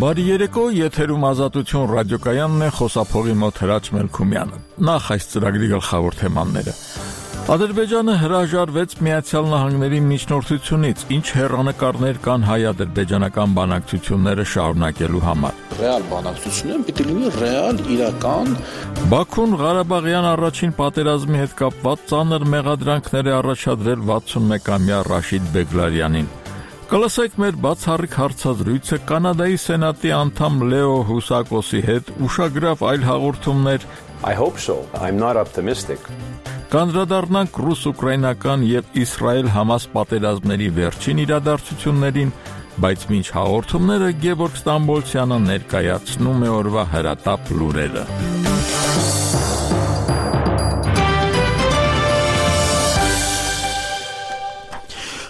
Բարի երեկո, եթերում Ազատություն ռադիոկայանն է, խոսափողի մոտ Հրաչ Մելքումյանը։ Նախ այս ծրագրի գլխավոր թեմաները։ Ադրբեջանը հրաժարվեց Միացյալ Նահանգների միջնորդությունից, ինչ հեռանկարներ կան հայ-ադրբեջանական բանակցությունները շարունակելու համար։ Ռեալ բանակցությունները պիտի լինի ռեալ, իրական։ Բաքուն Ղարաբաղյան առաջին պատերազմի հետ կապված ծանր մեղադրանքներ է առաջադրել 61-ամյա Ռաշիդ Բեգլարյանին։ Կլսեք մեր բացառիկ հարցազրույցը կանադայի սենատի անդամ Լեո Հուսակոսի հետ, ուշագրավ այլ հաղորդումներ։ I hope so. I'm not optimistic. Կանդրադառնանք ռուս-ուկրաինական եւ Իսրայել-Համաս պատերազմների վերջին իրադարձություններին, բայց մինչ հաղորդումները Գևորգ Ստամբոլցյանը ներկայացնում է օրվա հրատապ լուրերը։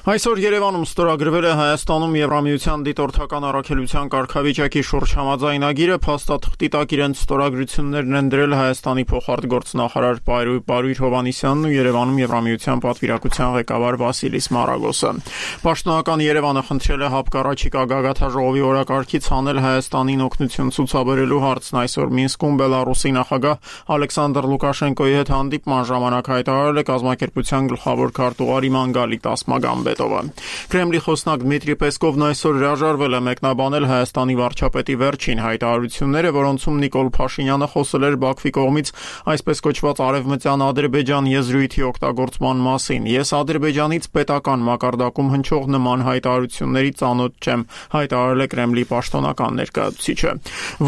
Այսօր Երևանում ստորագրվել է Հայաստանում Եվրամիության դիտորդական առաքելության կարգավիճակի շուրջ համաձայնագիրը, փաստաթղթի տակ իրենց ստորագրություններն են դրել Հայաստանի փոխարտգործնախարար Պարույր Հովհաննիսյանն ու Երևանում Եվրամիության պատվիրակության ղեկավար Վասիլիս Մարագոսը։ Պաշտոնական Երևանը խնդրել է հապկառաջիկա գագաթաժողովի օրակարգից հանել Հայաստանին օգնություն ցուցաբերելու հարցն այսօր Մինսկում Բելարուսի նախագահ Ալեքսանդր Լուկաշենկոյի հետ հանդիպման ժամանակ հայտարարել է կազմակերպության գլխավոր քարտուղար Իմանգալի Տասմագամբետովը։ Կրեմլի խոսնակ Դմիտրի Պեսկովն այսօր հրաժարվել է մեկնաբանել Հայաստանի վարչապետի վերջին հայտարարությունները, որոնցում Նիկոլ Փաշինյանը խոսել էր Բաքվի կողմից այսպես կոչված արևմտյան Ադրբեջան եզրույթի օգտագործման մասին։ Ես Ադրբեջանից պետական մակարդակում հնչող նման հայտարարությունների ծանոթ չեմ, հայտարարել է Կրեմլի պաշտոնական ներկայացուցիչը։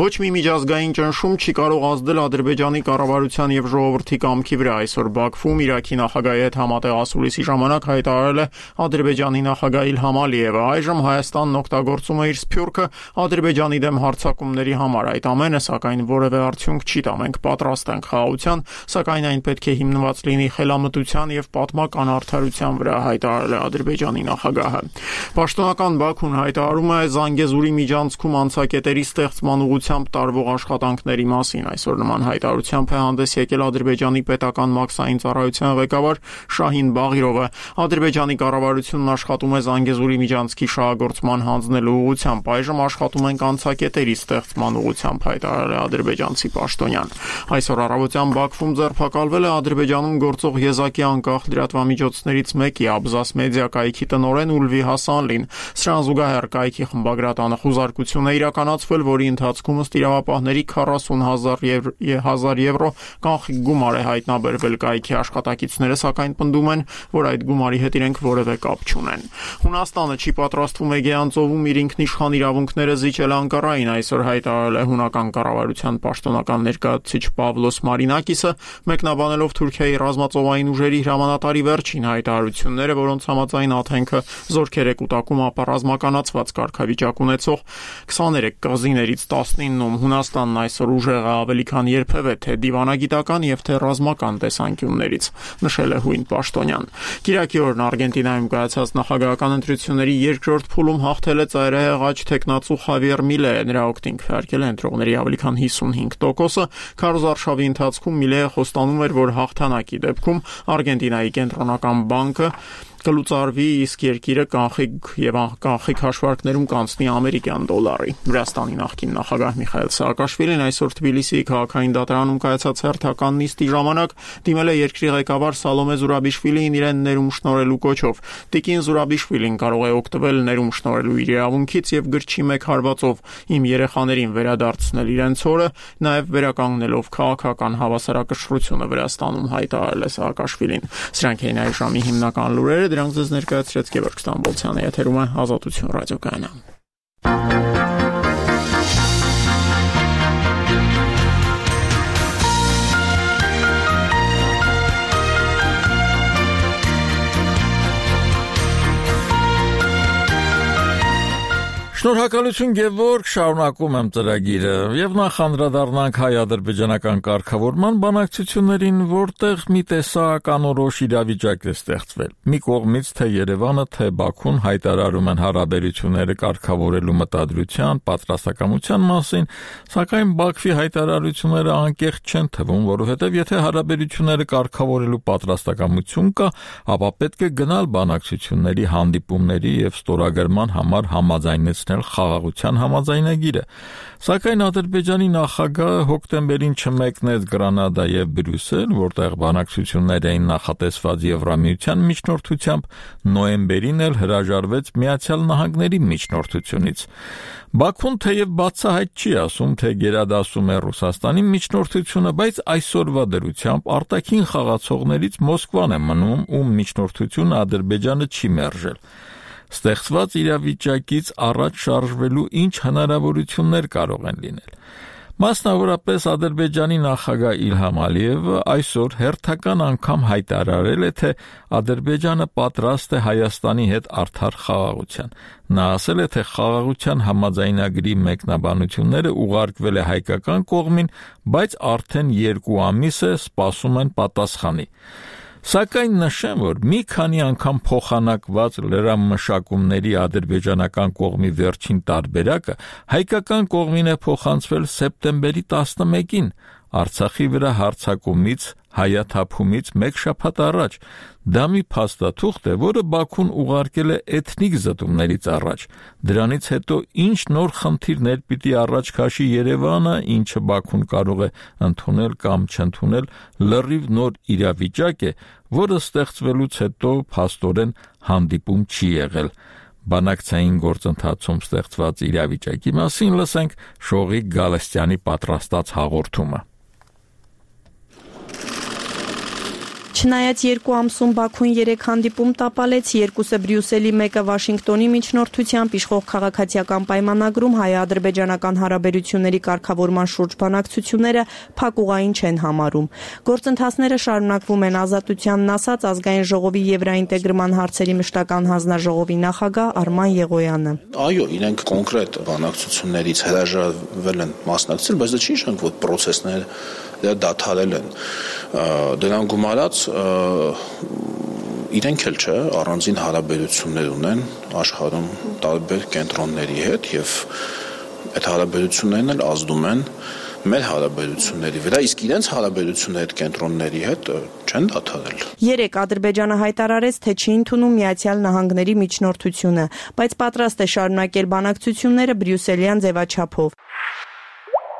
Ոչ մի միջազգային ճնշում չի կարող ազդել Ադրբեջանի կառավարության եւ ժողովրդի կամքի վրա։ Այսօր Բաքվում Իրաքի նախագահի հետ համատեղ ասուլիսի ժամանակ հայտարարել է Ադրբեջանի նախագահ Իլհամ Ալիևը։ Այժմ Հայաստանն օգտագործում է իր սփյուռքը Ադրբեջանի դեմ հարձակումների համար։ Այդ ամենը, սակայն, որևէ արդյունք չի տա։ Մենք պատրաստ ենք խաղաղության, սակայն այն պետք է հիմնված լինի խելամտության եւ պատմական արդարության վրա, հայտարարել է Ադրբեջանի նախագահը։ Պաշտոնական Բաքուն հայտարարում է Զանգեզուրի միջանցքում անցակետերի ստեղծման ուղղությամբ տարվող աշխատանքների մասին։ Այսօր նման հայտարարությամբ է հանդես եկել Ադրբեջանի պետական մաքսային ծառայության ղեկավար Շահին Բաղիրովը։ Ադրբեջանի կառավարությունն աշխատում է Զանգեզուրի միջանցքի շահագործման հանձնելու ուղղությամբ, այժմ աշխատում ենք անցակետերի ստեղծման ուղղությամբ, հայտարարել է ադրբեջանցի պաշտոնյան։ Այսօր առավոտյան Բաքվում ձերբակալվել է Ադրբեջանում գործող եզակի անկախ լրատվամիջոցներից մեկի Աբզաս մեդիա կայքի տնօրեն Ուլվի Հասանլին։ Սրան զուգահեռ կայքի խմբագրատանը խուզարկություն է իրականացվել, որի ընթացքում ըստ իրավապահների 40,000 եվրո կանխիկ գումար է հայտնաբերվել կայքի աշխատակիցները, սակայն պնդում են, որ այդ գումարի հետ իրենք որևէ կապ չունեն։ Հունաստանը չի պատրաստվում Էգեյան ծովում իր ինքնիշխան իրավունքները զիջել Անկարային, այսօր հայտարարել է հունական կառավարության պաշտոնական ներկայացուցիչ Պավլոս Մարինակիսը, մեկնաբանելով Թուրքիայի ռազմածովային ուժերի հրամանատարի վերջին հայտարարությունները, որոնց համաձայն Աթենքը զորքեր է կուտակում ապառազմականացված կարգավիճակ ունեցող 23 կղզիներից 19-ում։ Հունաստանն այսօր ուժեղ է ավելի քան երբևէ, թե դիվանագիտական եւ թե ռազմական տեսանկյուններից, նշել է հույն պաշտոնյան։ Կիրակի օրն Արգենտինայում կայացած նախագահական ընտրությունների երկրորդ փուլում հաղթել է ծայրահեղ աջ թեկնածու Խավիեր Միլեը, նրա օգտին քվեարկել է ընտրողների ավելի քան 55%-ը։ Քարոզարշավի ընթացքում Միլեը խոստանում էր, որ հաղթանակի դեպքում Արգենտինայի կենտրոնական բանկը կլուծարվի, իսկ երկիրը կանխիկ հաշվարկներում կանցնի ամերիկյան դոլարի։ Վրաստանի նախկին նախագահ Միխայել Սաակաշվիլին այսօր Թբիլիսիի քաղաքային դատարանում կայացած հերթական նիստի ժամանակ դիմել է երկրի ղեկավար Սալոմե Զուրաբիշվիլիին իրեն ներում շնորհելու կոչով։ Տիկին Զուրաբիշվիլին կարող է օգտվել ներում շնորհելու իր իրավունքից եւ գրչի մեկ հարվածով իմ երեխաներին վերադարձնել իրենց հորը, նաեւ վերականգնելով քաղաքական հավասարակշռությունը Վրաստանում, հայտարարել է Սաակաշվիլին։ Սրանք էին այժմի հիմնական լուրերը, դրանք ձեզ ներկայացրեց Գևորգ Ստամբոլցյանը, եթերում է Ազատություն ռադիոկայանը։ Շնորհակալություն Գևորգ, շարունակում եմ ծրագիրը եւ նախ անդրադառնանք հայ-ադրբեջանական կարգավորման բանակցություններին, որտեղ մի տեսակ անորոշ իրավիճակ է ստեղծվել։ Մի կողմից թե Երևանը, թե Բաքուն հայտարարում են հարաբերությունները կարգավորելու մտադրության, պատրաստակամության մասին, սակայն Բաքվի հայտարարությունները անկեղծ չեն թվում, որովհետեւ եթե հարաբերությունները կարգավորելու պատրաստակամություն կա, ապա պետք է գնալ բանակցությունների, հանդիպումների եւ ստորագրման համար համաձայնեցնել ճանաչել խաղաղության համաձայնագիրը։ Սակայն Ադրբեջանի նախագահը հոկտեմբերին չմեկնեց Գրանադա եւ Բրյուսել, որտեղ բանակցություններ էին նախատեսված Եվրամիության միջնորդությամբ, նոյեմբերին էլ հրաժարվեց Միացյալ Նահանգների միջնորդությունից։ Բաքուն թեև բացահայտ չի ասում, թե գերադասում է Ռուսաստանի միջնորդությունը, բայց այսօրվա դրությամբ արտաքին խաղացողներից Մոսկվան է մնում, ում միջնորդությունը Ադրբեջանը չի մերժել։ Ստեղծված իրավիճակից առաջ շարժվելու ինչ հնարավորություններ կարող են լինել։ Մասնավորապես Ադրբեջանի նախագահ Իլհամ Ալիևը այսօր հերթական անգամ հայտարարել է, թե Ադրբեջանը պատրաստ է Հայաստանի հետ արդար խաղաղության։ Նա ասել է, թե խաղաղության համաձայնագրի մեկնաբանությունները ուղարկվել է հայկական կողմին, բայց արդեն 2 ամիս է սպասում են պատասխանի։ Սակայն նշեմ, որ մի քանի անգամ փոխանակված լրամշակումների ադրբեջանական կողմի վերջին տարբերակը հայկական կողմին է փոխանցվել սեպտեմբերի 11-ին, Արցախի վրա հարձակումից, հայաթափումից 1 շաբաթ առաջ։ Դա մի փաստաթուղթ է, որը Բաքուն ուղարկել է էթնիկ զտումներից առաջ։ Դրանից հետո ինչ նոր խնդիրներ պիտի առաջ քաշի Երևանը, ինչը Բաքուն կարող է ընդունել կամ չընդունել, լրիվ նոր իրավիճակ է, որը ստեղծվելուց հետո փաստորեն հանդիպում չի եղել։ Բանակցային գործընթացում ստեղծված իրավիճակի մասին լսենք Շողիկ Գալստյանի պատրաստած հաղորդումը։ Չնայած 2 ամսում Բաքուն 3 հանդիպում տապալեց, 2-ը Բրյուսելի, 1-ը Վաշինգտոնի միջնորդությամբ իշխող քաղաքացիական պայմանագրում հայ-ադրբեջանական հարաբերությունների կարգավորման շուրջ բանակցությունները փակուղային չեն համարում։ Գործընթացները շարունակվում են ազատությանն ասած ազգային ժողովի եվրաինտեգրման հարցերի մշտական հանձնաժողովի նախագահ Արման Եղոյանը։ Այո, իրենք կոնկրետ բանակցություններից հրաժարվել են մասնակցել, բայց դա չի նշանակում, որ process-ները դադարել են։ Դրան գումարած իրենք էլ չէ, առանձին հարաբերություններ ունեն աշխարհում տարբեր կենտրոնների հետ եւ այդ հարաբերություններն էլ ազդում են մեր հարաբերությունների վրա, իսկ իրենց հարաբերությունները այդ կենտրոնների հետ չեն դադարել։ 3 Ադրբեջանը հայտարարեց, թե չի ընդունում Միացյալ Նահանգների միջնորդությունը, բայց պատրաստ է շարունակել բանակցությունները բրյուսելյան ձևաչափով։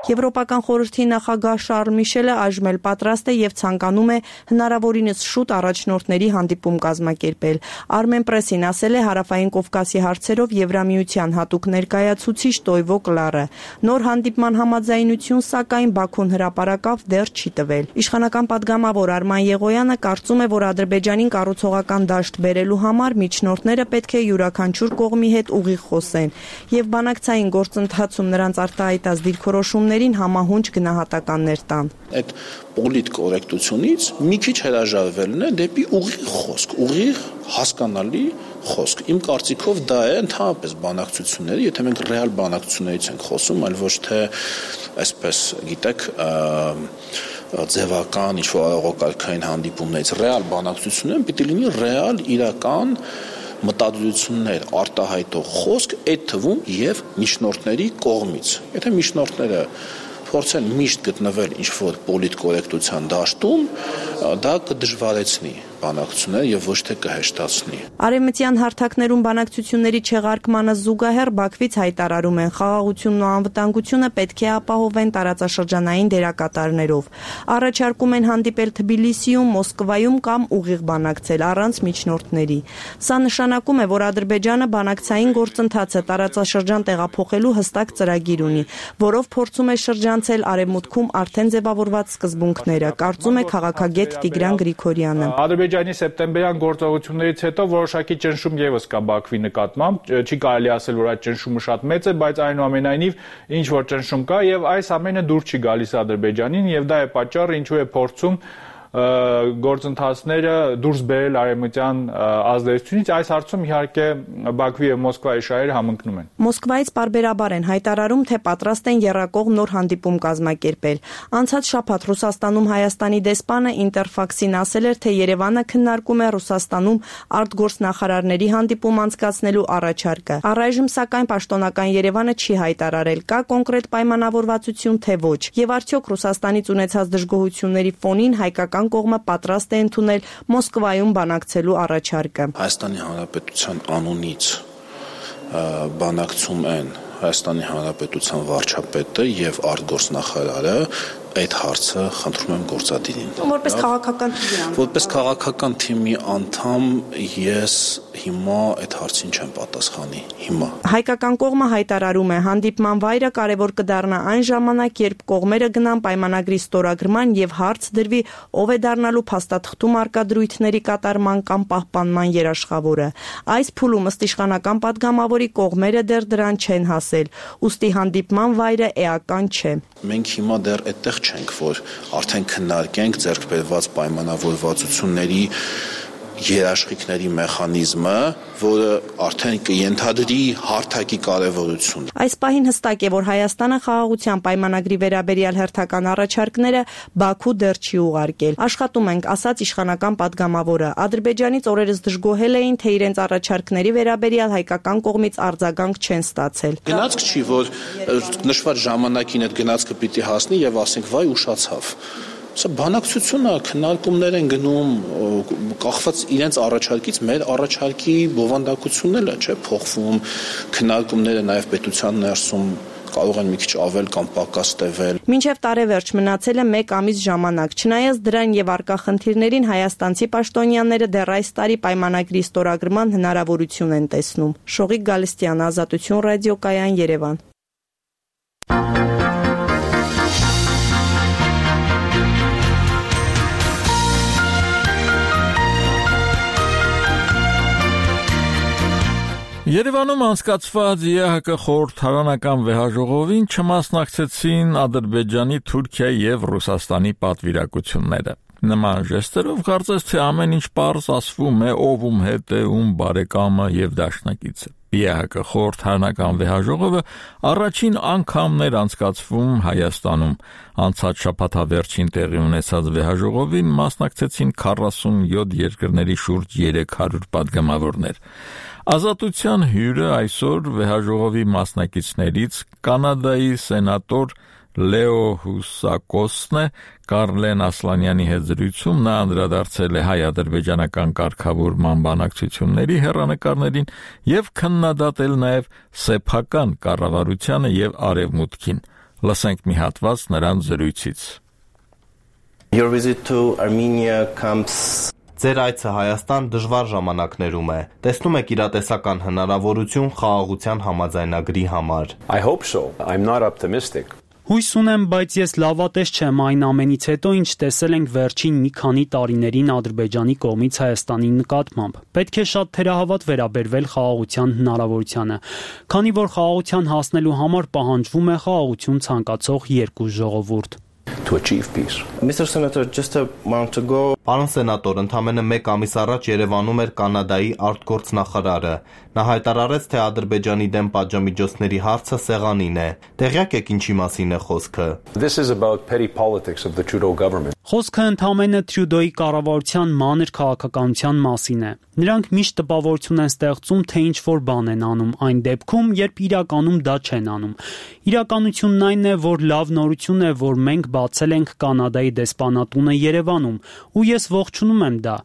Եվրոպական խորհրդի նախագահ Շարլ Միշելը այժմ էլ պատրաստ է եւ ցանկանում է հնարավորինս շուտ առաջնորդների հանդիպում կազմակերպել։ Armen Press-ին ասել է Հարավային Կովկասի հարցերով Եվրամիության հատուկ ներկայացուցիչ Տոյվո Կլարը։ Նոր հանդիպման համաձայնություն, սակայն Բաքուն հրապարակավ դեռ չի տվել։ Իշխանական падգամավոր Արման Եղոյանը կարծում է, որ Ադրբեջանին կառուցողական դաշտ բերելու համար միջնորդները պետք է յուրաքանչյուր կողմի հետ ուղիղ խոսեն եւ բանակցային գործընթացում նրանց արտահայտած դիրքորոշումները համահունչ գնահատականներ տան։ Այդ պոլիտկորեկտությունից մի քիչ հրաժարվելն է դեպի ուղիղ խոսք, ուղիղ հասկանալի խոսք։ Իմ կարծիքով դա է ընդհանրապես բանակցությունները, եթե մենք ռեալ բանակցություններից ենք խոսում, այլ ոչ թե այսպես, գիտեք, ձևական ինչ-որ արարողակարգային հանդիպումներից, ռեալ բանակցությունները պիտի լինի ռեալ իրական մտադրություններ արտահայտող խոսք, այդ թվում եւ միջնորդների կողմից։ Եթե միջնորդները փորձեն միշտ գտնվել ինչ-որ պոլիտկորեկտության դաշտում, դա կդժվարեցնի բանակցությունները եւ ոչ թե կհեշտացնի։ Արևմտյան հարթակներում բանակցությունների չեղարկմանը զուգահեռ Բաքվից հայտարարում են խաղաղությունն ու անվտանգությունը պետք է ապահովեն տարածաշրջանային դերակատարներով։ Առաջարկում են հանդիպել Թբիլիսիում, Մոսկվայում կամ ուղիղ բանակցել առանց միջնորդների։ Սա նշանակում է, որ Ադրբեջանը բանակցային գործընթացը տարածաշրջան տեղափոխելու հստակ ծրագիր ունի, որով փորձում է շրջանցել արևմուտքում արդեն ձևավորված սկզբունքները, կարծում է քաղաքագետ Տիգրան Գրիգորյանը։ Ադրբեջանի սեպտեմբերյան գործողություններից հետո որոշակի ճնշում եւս կա Բաքվի նկատմամբ, չի կարելի ասել, որ այդ ճնշումը շատ մեծ է, բայց այնուամենայնիվ ինչ որ ճնշում կա եւ այս ամենը դուր չի գալիս Ադրբեջանին եւ դա է պատճառը, ինչու է փորձում գործընթացները դուրս բերել արևմտյան ազդեցությունից։ Այս հարցում իհարկե Բաքվի եւ Մոսկվայի շահերը համընկնում են։ Մոսկվայից պարբերաբար են հայտարարում, թե պատրաստ են եռակողմ նոր հանդիպում կազմակերպել։ Անցած շաբաթ Ռուսաստանում Հայաստանի դեսպանը Ինտերֆաքսին ասել էր, թե Երևանը քննարկում է Ռուսաստանում արտգործնախարարների հանդիպում անցկացնելու առաջարկը։ Առայժմ սակայն պաշտոնական Երևանը չի հայտարարել, կա կոնկրետ պայմանավորվածություն, թե ոչ։ Եվ արդյոք Ռուսաստանից ունեցած դժգոհությունների ֆոնին հայկական կողմը պատրաստ է ընդունել Մոսկվայում բանակցելու առաջարկը։ Հայաստանի Հանրապետության անունից բանակցում են Հայաստանի Հանրապետության վարչապետը եւ արտգործնախարարը, այդ հարցը խնդրում եմ գործադիրին։ Որպես քաղաքական թիմի Որպես քաղաքական թիմի անդամ ես հիմա այդ հարցին չեմ պատասխանի հիմա։ Հայկական կողմը հայտարարում է, հանդիպման վայրը կարևոր կդառնա այն ժամանակ, երբ կողմերը գնան պայմանագրի ստորագրման եւ հարց դրվի, ով է դառնալու փաստաթղթում արկա դրույթների կատարման կամ պահպանման երաշխավորը։ Այս փուլում ըստ իշխանական падգամավորի կողմերը դեռ դրան չեն հասել, ուստի հանդիպման վայրը էական չէ։ Մենք հիմա դեռ այդտեղ չենք, որ արդեն քննարկենք ձեռք բերված պայմանավորվածությունների երաշխիքների մեխանիզմը, որը արդեն կենթադրի հարթակի կարևորություն։ Այս պահին հստակ է, որ Հայաստանը խաղաղության պայմանագրի վերաբերյալ հերթական առաջարկները Բաքու դեռ չի ուղարկել։ Աշխատում ենք, ասաց իշխանական падգամավորը։ Ադրբեջանից օրերս դժգոհել էին, թե իրենց առաջարկների վերաբերյալ հայկական կողմից արձագանք չեն ստացել։ Գնացք չի, որ նշված ժամանակին այդ գնացքը պիտի հասնի եւ ասենք վայ ուշացավ։ Սա բանակցությունը քննարկումներ են գնում կախված իրենց առաջարկից, մեր առաջարկի բովանդակությունն էլ չէ փոխվում, քննարկումները նաև պետության ներսում կարող են մի քիչ ավել կամ պակաս տևել։ Մինչև տարեվերջ մնացել է 1 ամիս ժամանակ, չնայած դրան եւ արկա խնդիրներին հայաստանցի պաշտոնյաները դեռ այս տարի պայմանագրի ստորագրման հնարավորություն են տեսնում։ Շողիկ Գալստյան, Ազատություն ռադիոկայան, Երևան։ Երևանում անցկացված ԵՀԿ խորհրդարանական վեհաժողովին չմասնակցեցին Ադրբեջանի, Թուրքիայի եւ Ռուսաստանի պատվիրակությունները։ Նման ժեստերով կարծես թե ամեն ինչ պարզ ասվում է, ով ում հետ է, ում բարեկամը եւ դաշնակիցը։ ԵՀԿ խորհրդարանական վեհաժողովը առաջին անգամն էր անցկացվում Հայաստանում։ Անցած շաբաթավերջին տեղի ունեցած վեհաժողովին մասնակցեցին 47 երկրների շուրջ 300 падգամավորներ։ Ազատության հյուրը այսօր վեհաժողովի մասնակիցներից կանադայի սենատոր Լեո Հուսակոսն է, Կարլեն Ասլանյանի հետ զրույցում նա անդրադարձել է հայ-ադրբեջանական կարգավորման բանակցությունների հեռանկարներին եւ քննադատել նաեւ սեփական կառավարությանը եւ արևմուտքին։ Լսենք մի հատված նրանց զրույցից։ Your visit to Armenia comes Ձեր այցը Հայաստան դժվար ժամանակներում է։ Տեսնում եք իրատեսական հնարավորություն խաղաղության համաձայնագրի համար։ I hope so. I'm not optimistic. Հույս ունեմ, բայց ես լավատես չեմ այն ամենից հետո, ինչ տեսել ենք վերջին մի քանի տարիներին Ադրբեջանի կողմից Հայաստանի նկատմամբ։ Պետք է շատ թերահավատ վերաբերվել խաղաղության հնարավորությանը, քանի որ խաղաղության հասնելու համար պահանջվում է խաղաղություն ցանկացող երկու ժողովուրդ։ To achieve peace. Mr. Senator, just a month ago, Պարոն սենատոր, ընդամենը 1 ամիս առաջ Երևանում էր Կանադայի արտգործնախարարը։ Նա հայտարարեց, թե Ադրբեջանի դեմ պատժամիջոցների հարցը սեղանին է։ Տեղյակ եք ինչի մասին է խոսքը։ This is about petty politics of the Trudeau government. Խոսքը ընդամենը Տրյուդոյի կառավարության մանր քաղաքականության մասին է։ Նրանք միշտ տպավորություն են ստեղծում, թե ինչ-որ բան են անում, այն դեպքում, երբ իրականում դա չեն անում։ Իրականությունն այն է, որ լավ նորություն է, որ մենք բացել ենք Կանադայի դեսպանատունը Երևանում, ու ես ողջունում եմ դա։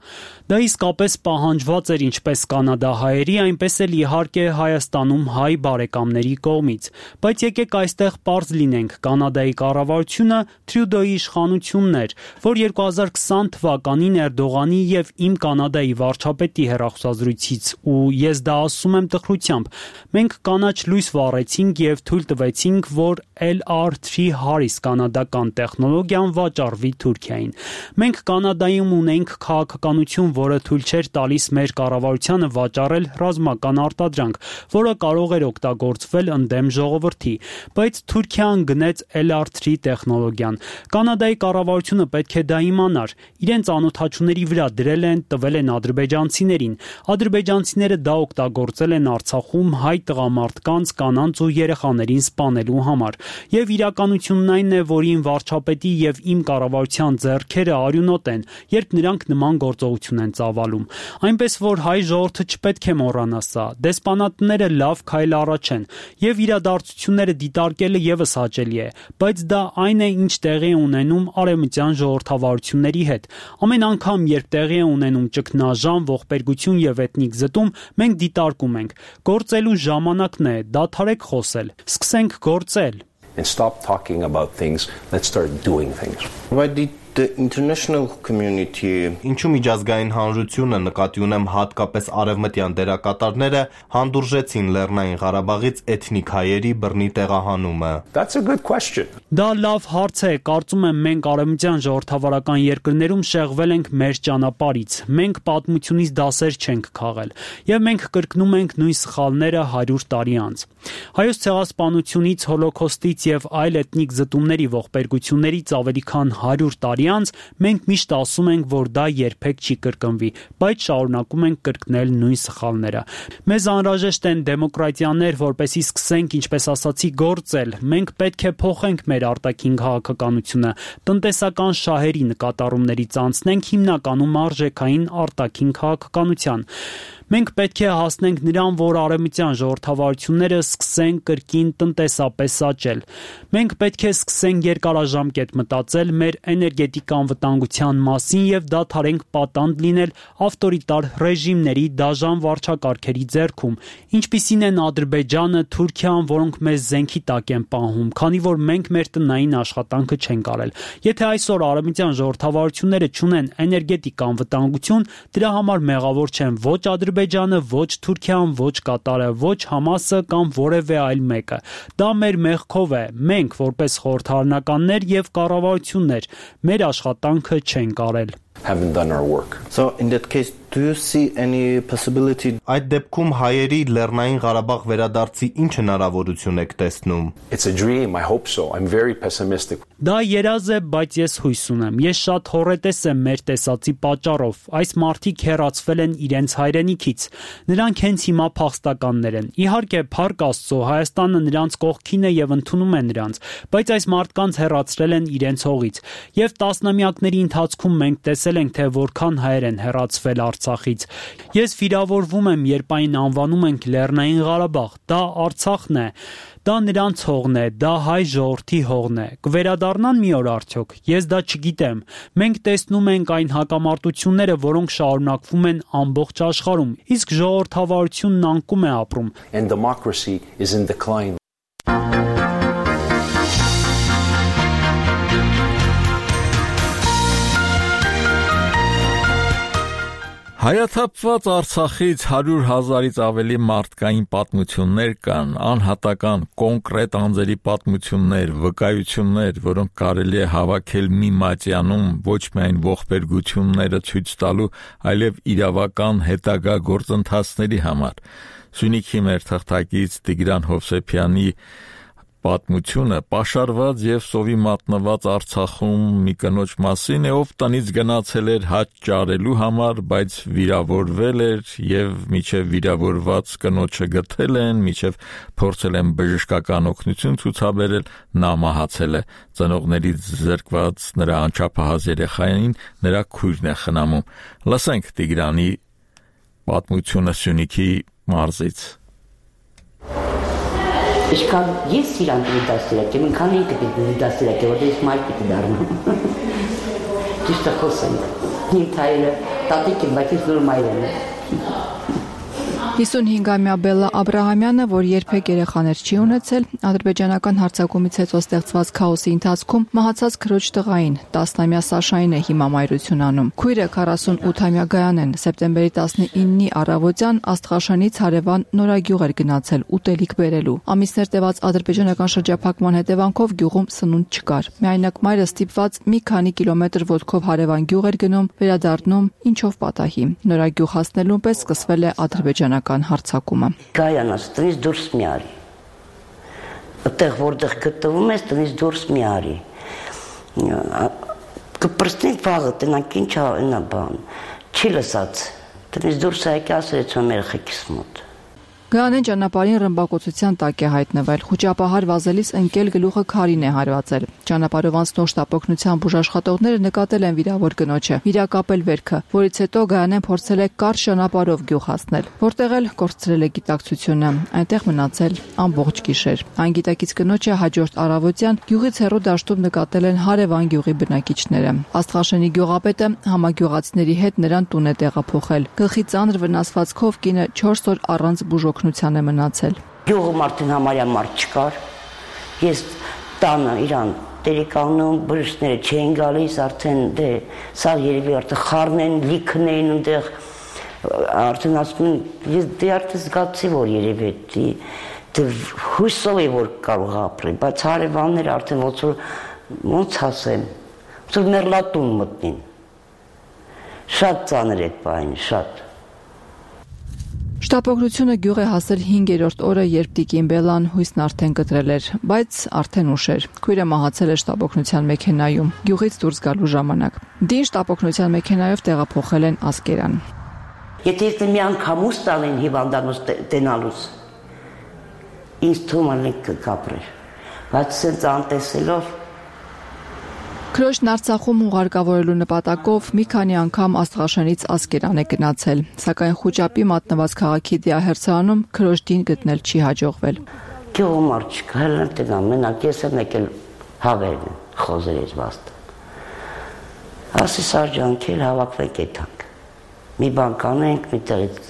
Դա իսկապես պահանջված էր ինչպես կանադահայերի, այնպես էլ իհարկե Հայաստանում հայ բարեկամների կողմից։ Բայց եկեք այստեղ պարզ լինենք, Կանադայի կառավարությունը Տրյուդոյի իշխանությունն էր, որ 2020 թվականին Էրդողանի եւ Իմ Կանադայի վարչապետի հեռախոսազրույցից, ու ես դա ասում եմ տխրությամբ, մենք կանաչ լույս վառեցինք եւ թույլ տվեցինք, որ LR3 Harris կանադական տեխնոլոգիան վաճառվի Թուրքիային։ Մենք Կանադայում ունենք քաղաքականություն, որը թույլ չէր տալիս մեր կառավարությանը վաճառել ռազմական արտադրանք, որը կարող էր օգտագործվել ընդդեմ ժողովրդի, բայց Թուրքիան գնեց LR3 տեխնոլոգիան։ Կանադայի կառավարությունը պետք է դա իմանար։ Իրենց անօթաչուների վրա դրել են, տվել են ադրբեջանցիներին։ Ադրբեջանցիները դա օգտագործել են Արցախում հայ տղամարդկանց, կանանց ու երեխաներին սպանելու համար։ Եվ իրականությունն այն է, որ իմ վարչապետի եւ իմ կառավարության ձեռքերը արյունոտ են, երբ նրանք նման գործողություն են ծավալում։ Այնպես որ հայ ժողովուրդը չպետք է մոռանա սա։ Դեսպանատները լավ քայլ առաջ են, եւ իրադարձությունները դիտարկելը եւս հաճելի է, բայց դա այն է, ինչ տեղի է ունենում արևմտյան ժողովրդավարությունների հետ։ Ամեն անգամ, երբ տեղի է ունենում ճգնաժամ, ողբերգություն եւ էթնիկ զտում, մենք դիտարկում ենք։ Գործելու ժամանակն է, դադարեք խոսել, սկսենք գործել։ And stop talking about things, let's start doing things. Why did the international community ինչու միջազգային հանրությունը նկատի ունեմ հատկապես արևմտյան դերակատարները հանդուրժեցին Լեռնային Ղարաբաղից էթնիկ հայերի բռնի տեղահանումը? That's a good question. Դա լավ հարց է, կարծում եմ մենք արևմտյան ժողովրդավարական երկրներում շեղվել ենք մեր ճանապարհից։ Մենք պատմությունից դասեր չենք քաղել, եւ մենք կրկնում ենք նույն սխալները 100 տարի անց։ Հայոց ցեղասպանությունից, հոլոկոստից եւ այլ էթնիկ զտումների ողբերգություններից ավելի քան 100 տարի անց մենք միշտ ասում ենք, որ դա երբեք չի կրկնվի, բայց շարունակում ենք կրկնել նույն սխալները։ Մեզ անհրաժեշտ են դեմոկրատիաներ, որպեսզի սկսենք, ինչպես ասացի, գործել։ Մենք պետք է փոխենք մեր արտաքին քաղաքականությունը, տնտեսական շահերի նկատառումներից անցնենք հիմնականում արժեքային արտաքին քաղաքականության։ Մենք պետք է հասնենք նրան, որ արևմտյան ժողովրդավարությունները սկսեն կրկին տնտեսապես աճել։ Մենք պետք է սկսենք երկարաժամկետ մտածել մեր էներգետիկ անվտանգության մասին եւ դադարենք պատանդ լինել ավտորիտար ռեժիմների դաժան վարչակարգերի ձեռքում, ինչպիսին են Ադրբեջանը, Թուրքիան, որոնք մեզ զենքի տակ են պահում, քանի որ մենք մեր տնային աշխատանքը չենք արել։ Եթե այսօր արևմտյան ժողովրդավարությունները չունեն էներգետիկ անվտանգություն, դրա համար մեղավոր չեն ոչ Ադրբեջանը, ոչ Թուրքիան, ոչ Կատարը, ոչ Համասը կամ որևէ այլ մեկը։ Դա մեր մեղքով է։ Մենք, որպես խորհրդարանականներ եւ կառավարություններ, մեր աշխատանքը չենք արել։ Haven't done our work. So in that case, do you see any possibility այդ դեպքում հայերի Լեռնային Ղարաբաղ վերադարձի ինչ հնարավորություն եք տեսնում? It's a dream, I hope so. I'm very pessimistic. Դա երազ է, բայց ես հույս ունեմ։ Ես շատ հոռետես եմ մեր տեսածի պատճառով։ Այս մարդիկ հեռացվել են իրենց հայրենիքից։ Նրանք հենց հիմա փախստականներ են։ Իհարկե, փառք Աստծո, Հայաստանը նրանց կողքին է եւ ընդունում է նրանց, բայց այս մարդկանց հեռացրել են իրենց հողից։ Եվ տասնամյակների ընթացքում մենք տեսել ենք, թե որքան հայեր են հեռացվել Արցախից։ Ես վիրավորվում եմ, երբ այն անվանում ենք Լեռնային Ղարաբաղ։ Դա Արցախն է։ Դա նրանց հողն է, դա հայ ժողովրդի հողն է։ Կվերադառնան մի օր արդյոք։ Ես դա չգիտեմ։ Մենք տեսնում ենք այն հակամարտությունները, որոնք շարունակվում են ամբողջ աշխարհում, իսկ ժողովրդավարությունն անկում է ապրում։ And democracy is in decline. Հայաթափված Արցախից 100,000-ից ավելի մարդկային պատմություններ կան, անհատական, կոնկրետ անձերի պատմություններ, վկայություններ, որոնք կարելի է հավաքել մի մատյանում ոչ միայն ողբերգությունները ցույց տալու, այլև իրավական հետագա գործընթացների համար։ Սյունիքի մեր թղթակից Տիգրան Հովսեփյանի պատմությունը պաշարված եւ սովի մատնված Արցախում մի կնոջ մասին է, ով տնից գնացել էր հաճ ճարելու համար, բայց վիրավորվել էր եւ միջև վիրավորված կնոջը գտել են, միջև փորձել են բժշկական օգնություն ցուցաբերել, նա մահացել է։ Ծնողներից զրկված նրա անչափահաս երեխային նրա քույրն է խնամում։ Լսենք Տիգրանի պատմությունը Սյունիքի մարզից։ Իշքան ես իրան դասիրակ եմ, ինքան ինքը պիտի դասիրակ է, որտեղ ես մայր պիտի դառնամ։ Ճիշտ է խոսենք։ Իմ թայրը տատիկ եմ, բայց ես նոր մայր եմ։ 55-ամյա Բելլա Աբրահամյանը, որ երբեք երեխաներ չի ունեցել, ադրբեջանական հարձակումից հետո ստեղծված քաոսի ընթացքում մահացած քրոջ տղային, 10-ամյա Սաշային է հիմա մայրություն անում։ Քույրը 48-ամյա Գայանեն սեպտեմբերի 19-ի առավոտյան Աստղաշանից հարևան Նորագյուղ էր գնացել ուտելիք բերելու։ Ամիսներ տևած ադրբեջանական շրջափակման հետևանքով գյուղում սնունդ չկար։ Միայնակ մայրը ստիպված մի քանի կիլոմետր ոտքով հարևան գյուղ էր գնում, վերադառնում, ինչով պատահի։ Նորագյուղ հասնելուն պես սկսվել է ադրբեջանական հարձակումը։ Գայանաս տնից դուրս մի արի։ Այդտեղ որտեղ գտնվում ես, տնից դուրս մի արի։ Կպրծնի վաղը տնանք ինչ այնա բան։ Չի լսած։ Տնից դուրս եկի ասեց մեր երեխեքիս մոտ։ Գայանեն ճանապարհին ռմբակոծության տակ է հայտնվել։ Խոճապահար վազելիս ընկել գլուխը քարին է հարվածել։ Ճանապարհով անցնող շտապօգնության բուժաշխատողները նկատել են վիրավոր կնոջը, վիրակապել վերքը, որից հետո Գայանեն փորձել է կարճ ճանապարհով գյուղ հասնել, որտեղ էլ կորցրել է գիտակցությունը, այնտեղ մնացել ամբողջ գիշեր։ Այն գիտակից կնոջը հաջորդ առավոտյան գյուղից հեռու դաշտում նկատել են հարևան գյուղի բնակիչները։ Աստղաշենի գյուղապետը համագյուղացիների հետ նրան տուն է տեղափոխել։ Գլխի ծանր վնասվածքով կինը 4 օր առանց բուժօգնության է մնացել։ Գյուղում արդեն համարյա մարդ չկար։ Ես տանը իրան տերեկանում բժիշկները չէին գալիս, արդեն սա երևի արդեն խառն են, լիքն էին այնտեղ, արդեն ասում են, ես արդեն զգացի, որ երևի հույսով է որ կարող ապրել, բայց հարևանները արդեն ոնց ասեմ, ոնց որ մեռլատուն մտնին։ Շատ ծանր է բան, շատ։ Շտապօգնությունը գյուղ է հասել 5-րդ օրը, երբ Տիկին Բելան հույսն արդեն կտրել էր, բայց արդեն ուշ էր։ Քույրը մահացել է շտապօգնության մեքենայում, գյուղից դուրս գալու ժամանակ։ Դին շտապօգնության մեքենայով տեղափոխել են Ասկերան։ Եթե ես մի անգամ ուս տանեն հիվանդանոց տենալուց, ինձ թվում է կապրեր, բայց սենց անտեսելով Քրոջն Արցախում ուղարկավորելու նպատակով մի քանի անգամ Աստղաշենից Ասկերան է գնացել, սակայն խոճապի մատնված քաղաքի դիահերձանում քրոջ դին գտնել չի հաջողվել։ Գյուղում չկա, հելն տենամ, մենակ ես եմ եկել հավերն, խոզեր ես վաստը։ Ասի սարջանքել հավաքվենք եթանք։ Մի բան կանենք, մի տեղից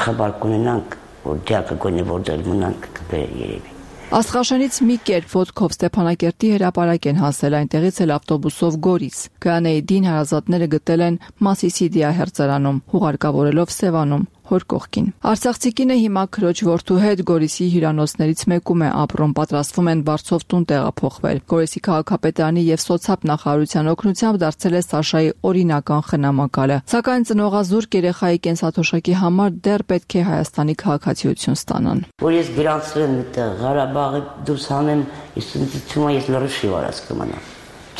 խաբար կունենանք, որ դյակը գոնե որ դել մնանք կբեր երևի։ Աստղաշենից մի կերպ ոտքով Ստեփանակերտի հրապարակ են հասել, այնտեղից էլ ավտոբուսով Գորիս։ Գայանեի դին հարազատները գտել են Մասիսի դիահերձարանում, հուղարկավորելով Սևանում, հոր կողքին։ Արցախցի կինը հիմա քրոջ որդու հետ Գորիսի հյուրանոցներից մեկում է ապրում, պատրաստվում են Վարչով տուն տեղափոխվել։ Գորիսի քաղաքապետարանի եւ սոցիալ նախարարության օգնությամբ դարձել է Սաշայի օրինական խնամակալը։ Սակայն ծնողազուրկ երեխայի կենսաթոշակի համար դեռ պետք է Հայաստանի քաղաքացիություն ստանան։ Որ ես գրանցվեմ այդտեղ Ղարաբաղի դուրս հանեմ, ես լրշի վարած կմնամ։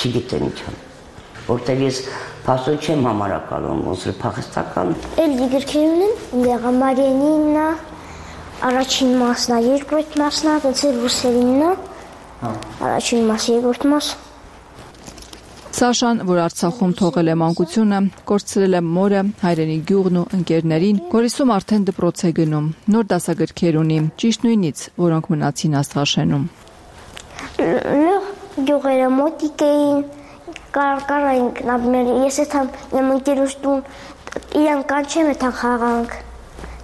Չգիտեմ ինչ անեմ։ Որտեղ ես փաստորեն չեմ համարակալում, ոնց որ փախստական։ Էլի գրքերն են, Մարիանինն է, առաջին մասն է, երկրորդ մասն է, դից է ռուսերինն է։ Առաջին մասը, երկրորդ մասը։ Սաշան, որ Արցախում թողել է մանկությունը, կորցրել է մորը, հայրենի գյուղն ու ընկերներին, Գորիսում արդեն դպրոց է գնում, նոր դասագրքեր ունի, ճիշտ նույնից, որոնք մնացին Աստղաշենում։ Գյուղերը մոտիկ էին, կարայինք, ես էթամ իմ ընկերուս տուն, իրան կանչեմ էթան խաղանք,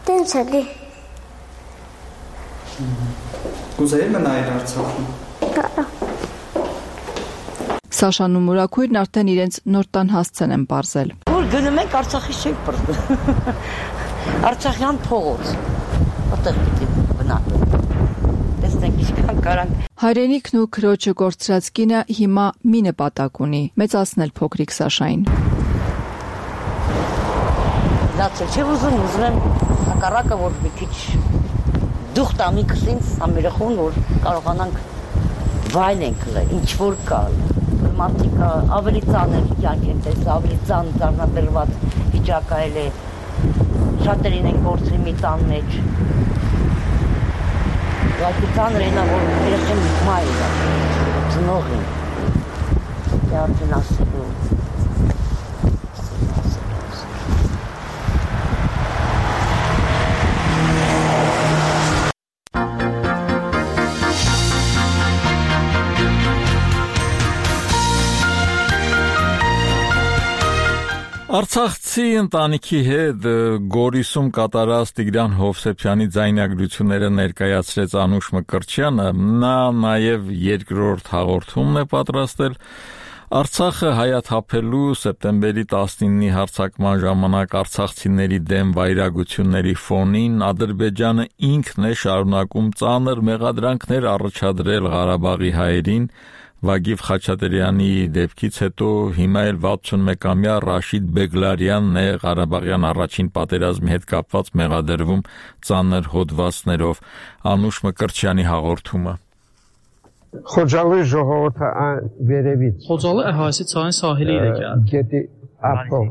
տենց էլի։ Կուզեի մնայր Արցախում։ Սաշան ու մորաքույրն արդեն իրենց նոր տան հասցեն են պարզել։ Որ գնում ենք Արցախից չենք պրծել։ Արցախյան փողոց, որտեղ պիտի բնակվենք։ Տեսնենք ինչքան կարանք։ Հայրենիքն ու քրոջը կորցրած կինը հիմա մի նպատակ ունի՝ մեծացնել փոքրիկ Սաշային։ Դացել չէ ուզում եմ հակառակը որ մի քիչ դուխ տանի քսինց ամերախուն որ կարողանանք վայելենք ինչ որ կա մարդիկ ավելի ծանր կյանք են տեսել, ավելի ծանր դառնաբերված վիճակայել է, շատերին են գործրի մի տան մեջ, բայց ծանր է նա, որ երեխեն մայր է, ծնող են, դե արդեն ասելու, Արցախցի ընտանիքի հետ Գորիսում կատարած Տիգրան Հովսեփյանի ձայնագրությունները ներկայացրեց Անուշ Մկրտչյանը, նա նաև երկրորդ հաղորդումն է պատրաստել Արցախը հայաթափելու սեպտեմբերի 19-ի հարձակման ժամանակ արցախցիների դեմ վայրագությունների ֆոնին Ադրբեջանը ինքն է շարունակում ծանր մեղադրանքներ առաջադրել Ղարաբաղի հայերին Վագիվ Խաչատրյանի դեպքից հետո հիմա էլ 61-ամյա Ռաշիդ Բեգլարյանն է Ղարաբաղյան առաջին պատերազմի հետ կապված մեղադրվում ծանր հոդվածներով Անուշ Մկրտչյանի հաղորդումը Խոջալի ժողովուրդը վերևից Խոջալը հայսի ցային սահելի է գետի ապով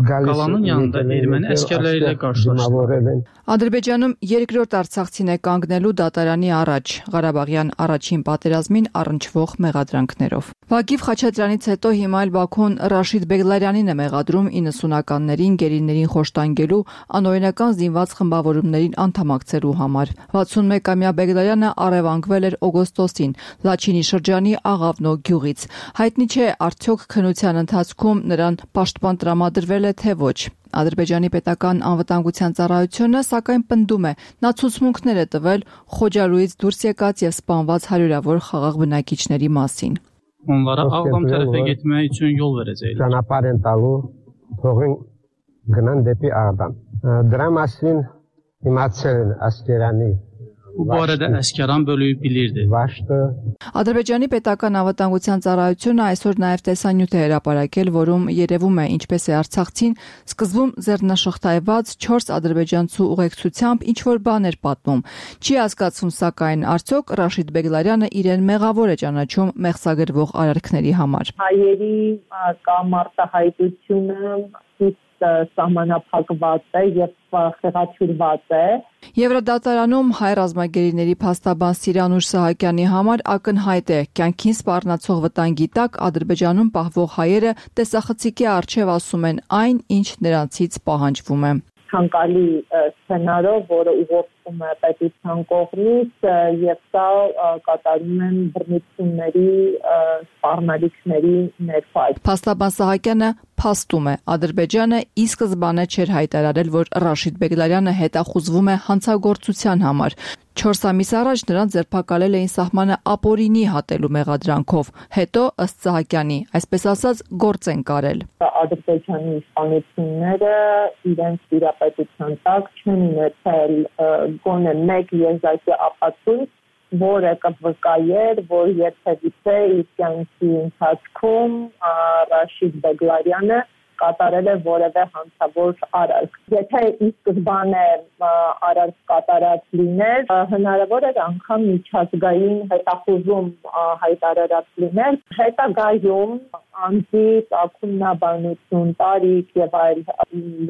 Կալանın yanında erməni əsgərləri ilə qarşılaşdı. Ադրբեջանում երկրորդ Արցախցին է կանգնելու դատարանի առաջ Ղարաբաղյան առաջին պատերազմին առնչվող մեղադրանքներով։ Վագիվ Խաչատրյանից հետո հիմա էլ Բաքուն Ռաշիդ Բեգլարյանին է մեղադրում 90-ականներին գերիներին խոշտանգելու անօրինական զինված խմբավորումներին անդամակցելու համար։ 61-ամյա Բեգլարյանը առևանգվել էր օգոստոսին Լաչինի շրջանի Աղավնո գյուղից։ Հայտնի չէ արդյոք քննության ընթացքում նրան պաշտպան տրամադրվել է թե ոչ։ Ադրբեջանի պետական անվտանգության ծառայությունը սակայն պնդում է, նա ցուցմունքներ է տվել Խոջալույից դուրս եկած եւ սպանված հարյուրավոր խաղաղ բնակիչների մասին։ Onlara Ağdam tərəfə getmək üçün yol verəcəklər. Ճանապարհ են տալու, թողին գնան դեպի Աղդամ։ Դրա մասին իմացել են ասկերանի Bu barədə Əsgəran bölüyü bilirdi. Ադրբեջանի պետական անվտանգության ծառայությունը այսօր նաև տեսանյութ է հրապարակել, որում երևում է ինչպես է Արցախցին սկզբում ձեռնաշղթայված 4 ադրբեջանցու ուղեկցությամբ ինչ-որ բան էր պատմում։ Չի հասկացվում սակայն արդյոք Ռաշիդ Բեգլարյանը իրեն մեղավոր է ճանաչում մեղսագրվող արարքների համար։ Հայերի կամ արտահայտությունը սահմանափակված է եւ խեղաթյուրված է։ Եվրոդատարանում հայ ռազմագերիների փաստաբան Սիրանուշ Սահակյանի համար ակնհայտ է կյանքին սպառնացող վտանգի տակ Ադրբեջանում պահվող հայերը տեսախցիկի առջև ասում են այն, ինչ նրանցից պահանջվում է։ Ցանկալի սցենարով, որը ուղղորդվում է պետության կողմից եւ սա կատարում են բռնությունների սպառնալիքների ներքո։ Փաստաբան Սահակյանը փաստում է Ադրբեջանը ի սկզբանե չէր հայտարարել, որ Ռաշիդ Բեգլարյանը հետախուզվում է հանցագործության համար։ 4 ամիս առաջ նրան ձերբակալել էին սահմանը ապօրինի հատելու մեղադրանքով։ Հետո ըստ Սահակյանի, այսպես ասած, գործ են կարել։ Ադրբեջանի իշխանությունները իրենց տիրապետության տակ չեն ունեցել գոնե մեկ եզակի ապացույց, որը կվկայեր, որ երբևիցե իր կյանքի ընթացքում Ռաշիդ Բեգլարյանը կատարել է որևէ հանցավոր արարք։ Եթե ի սկզբանե արարք կատարած լիներ, հնարավոր էր անգամ միջազգային հետախուզում հայտարարած լինել։ Հետագայում անձի ծագումնաբանություն, տարիք եւ այլ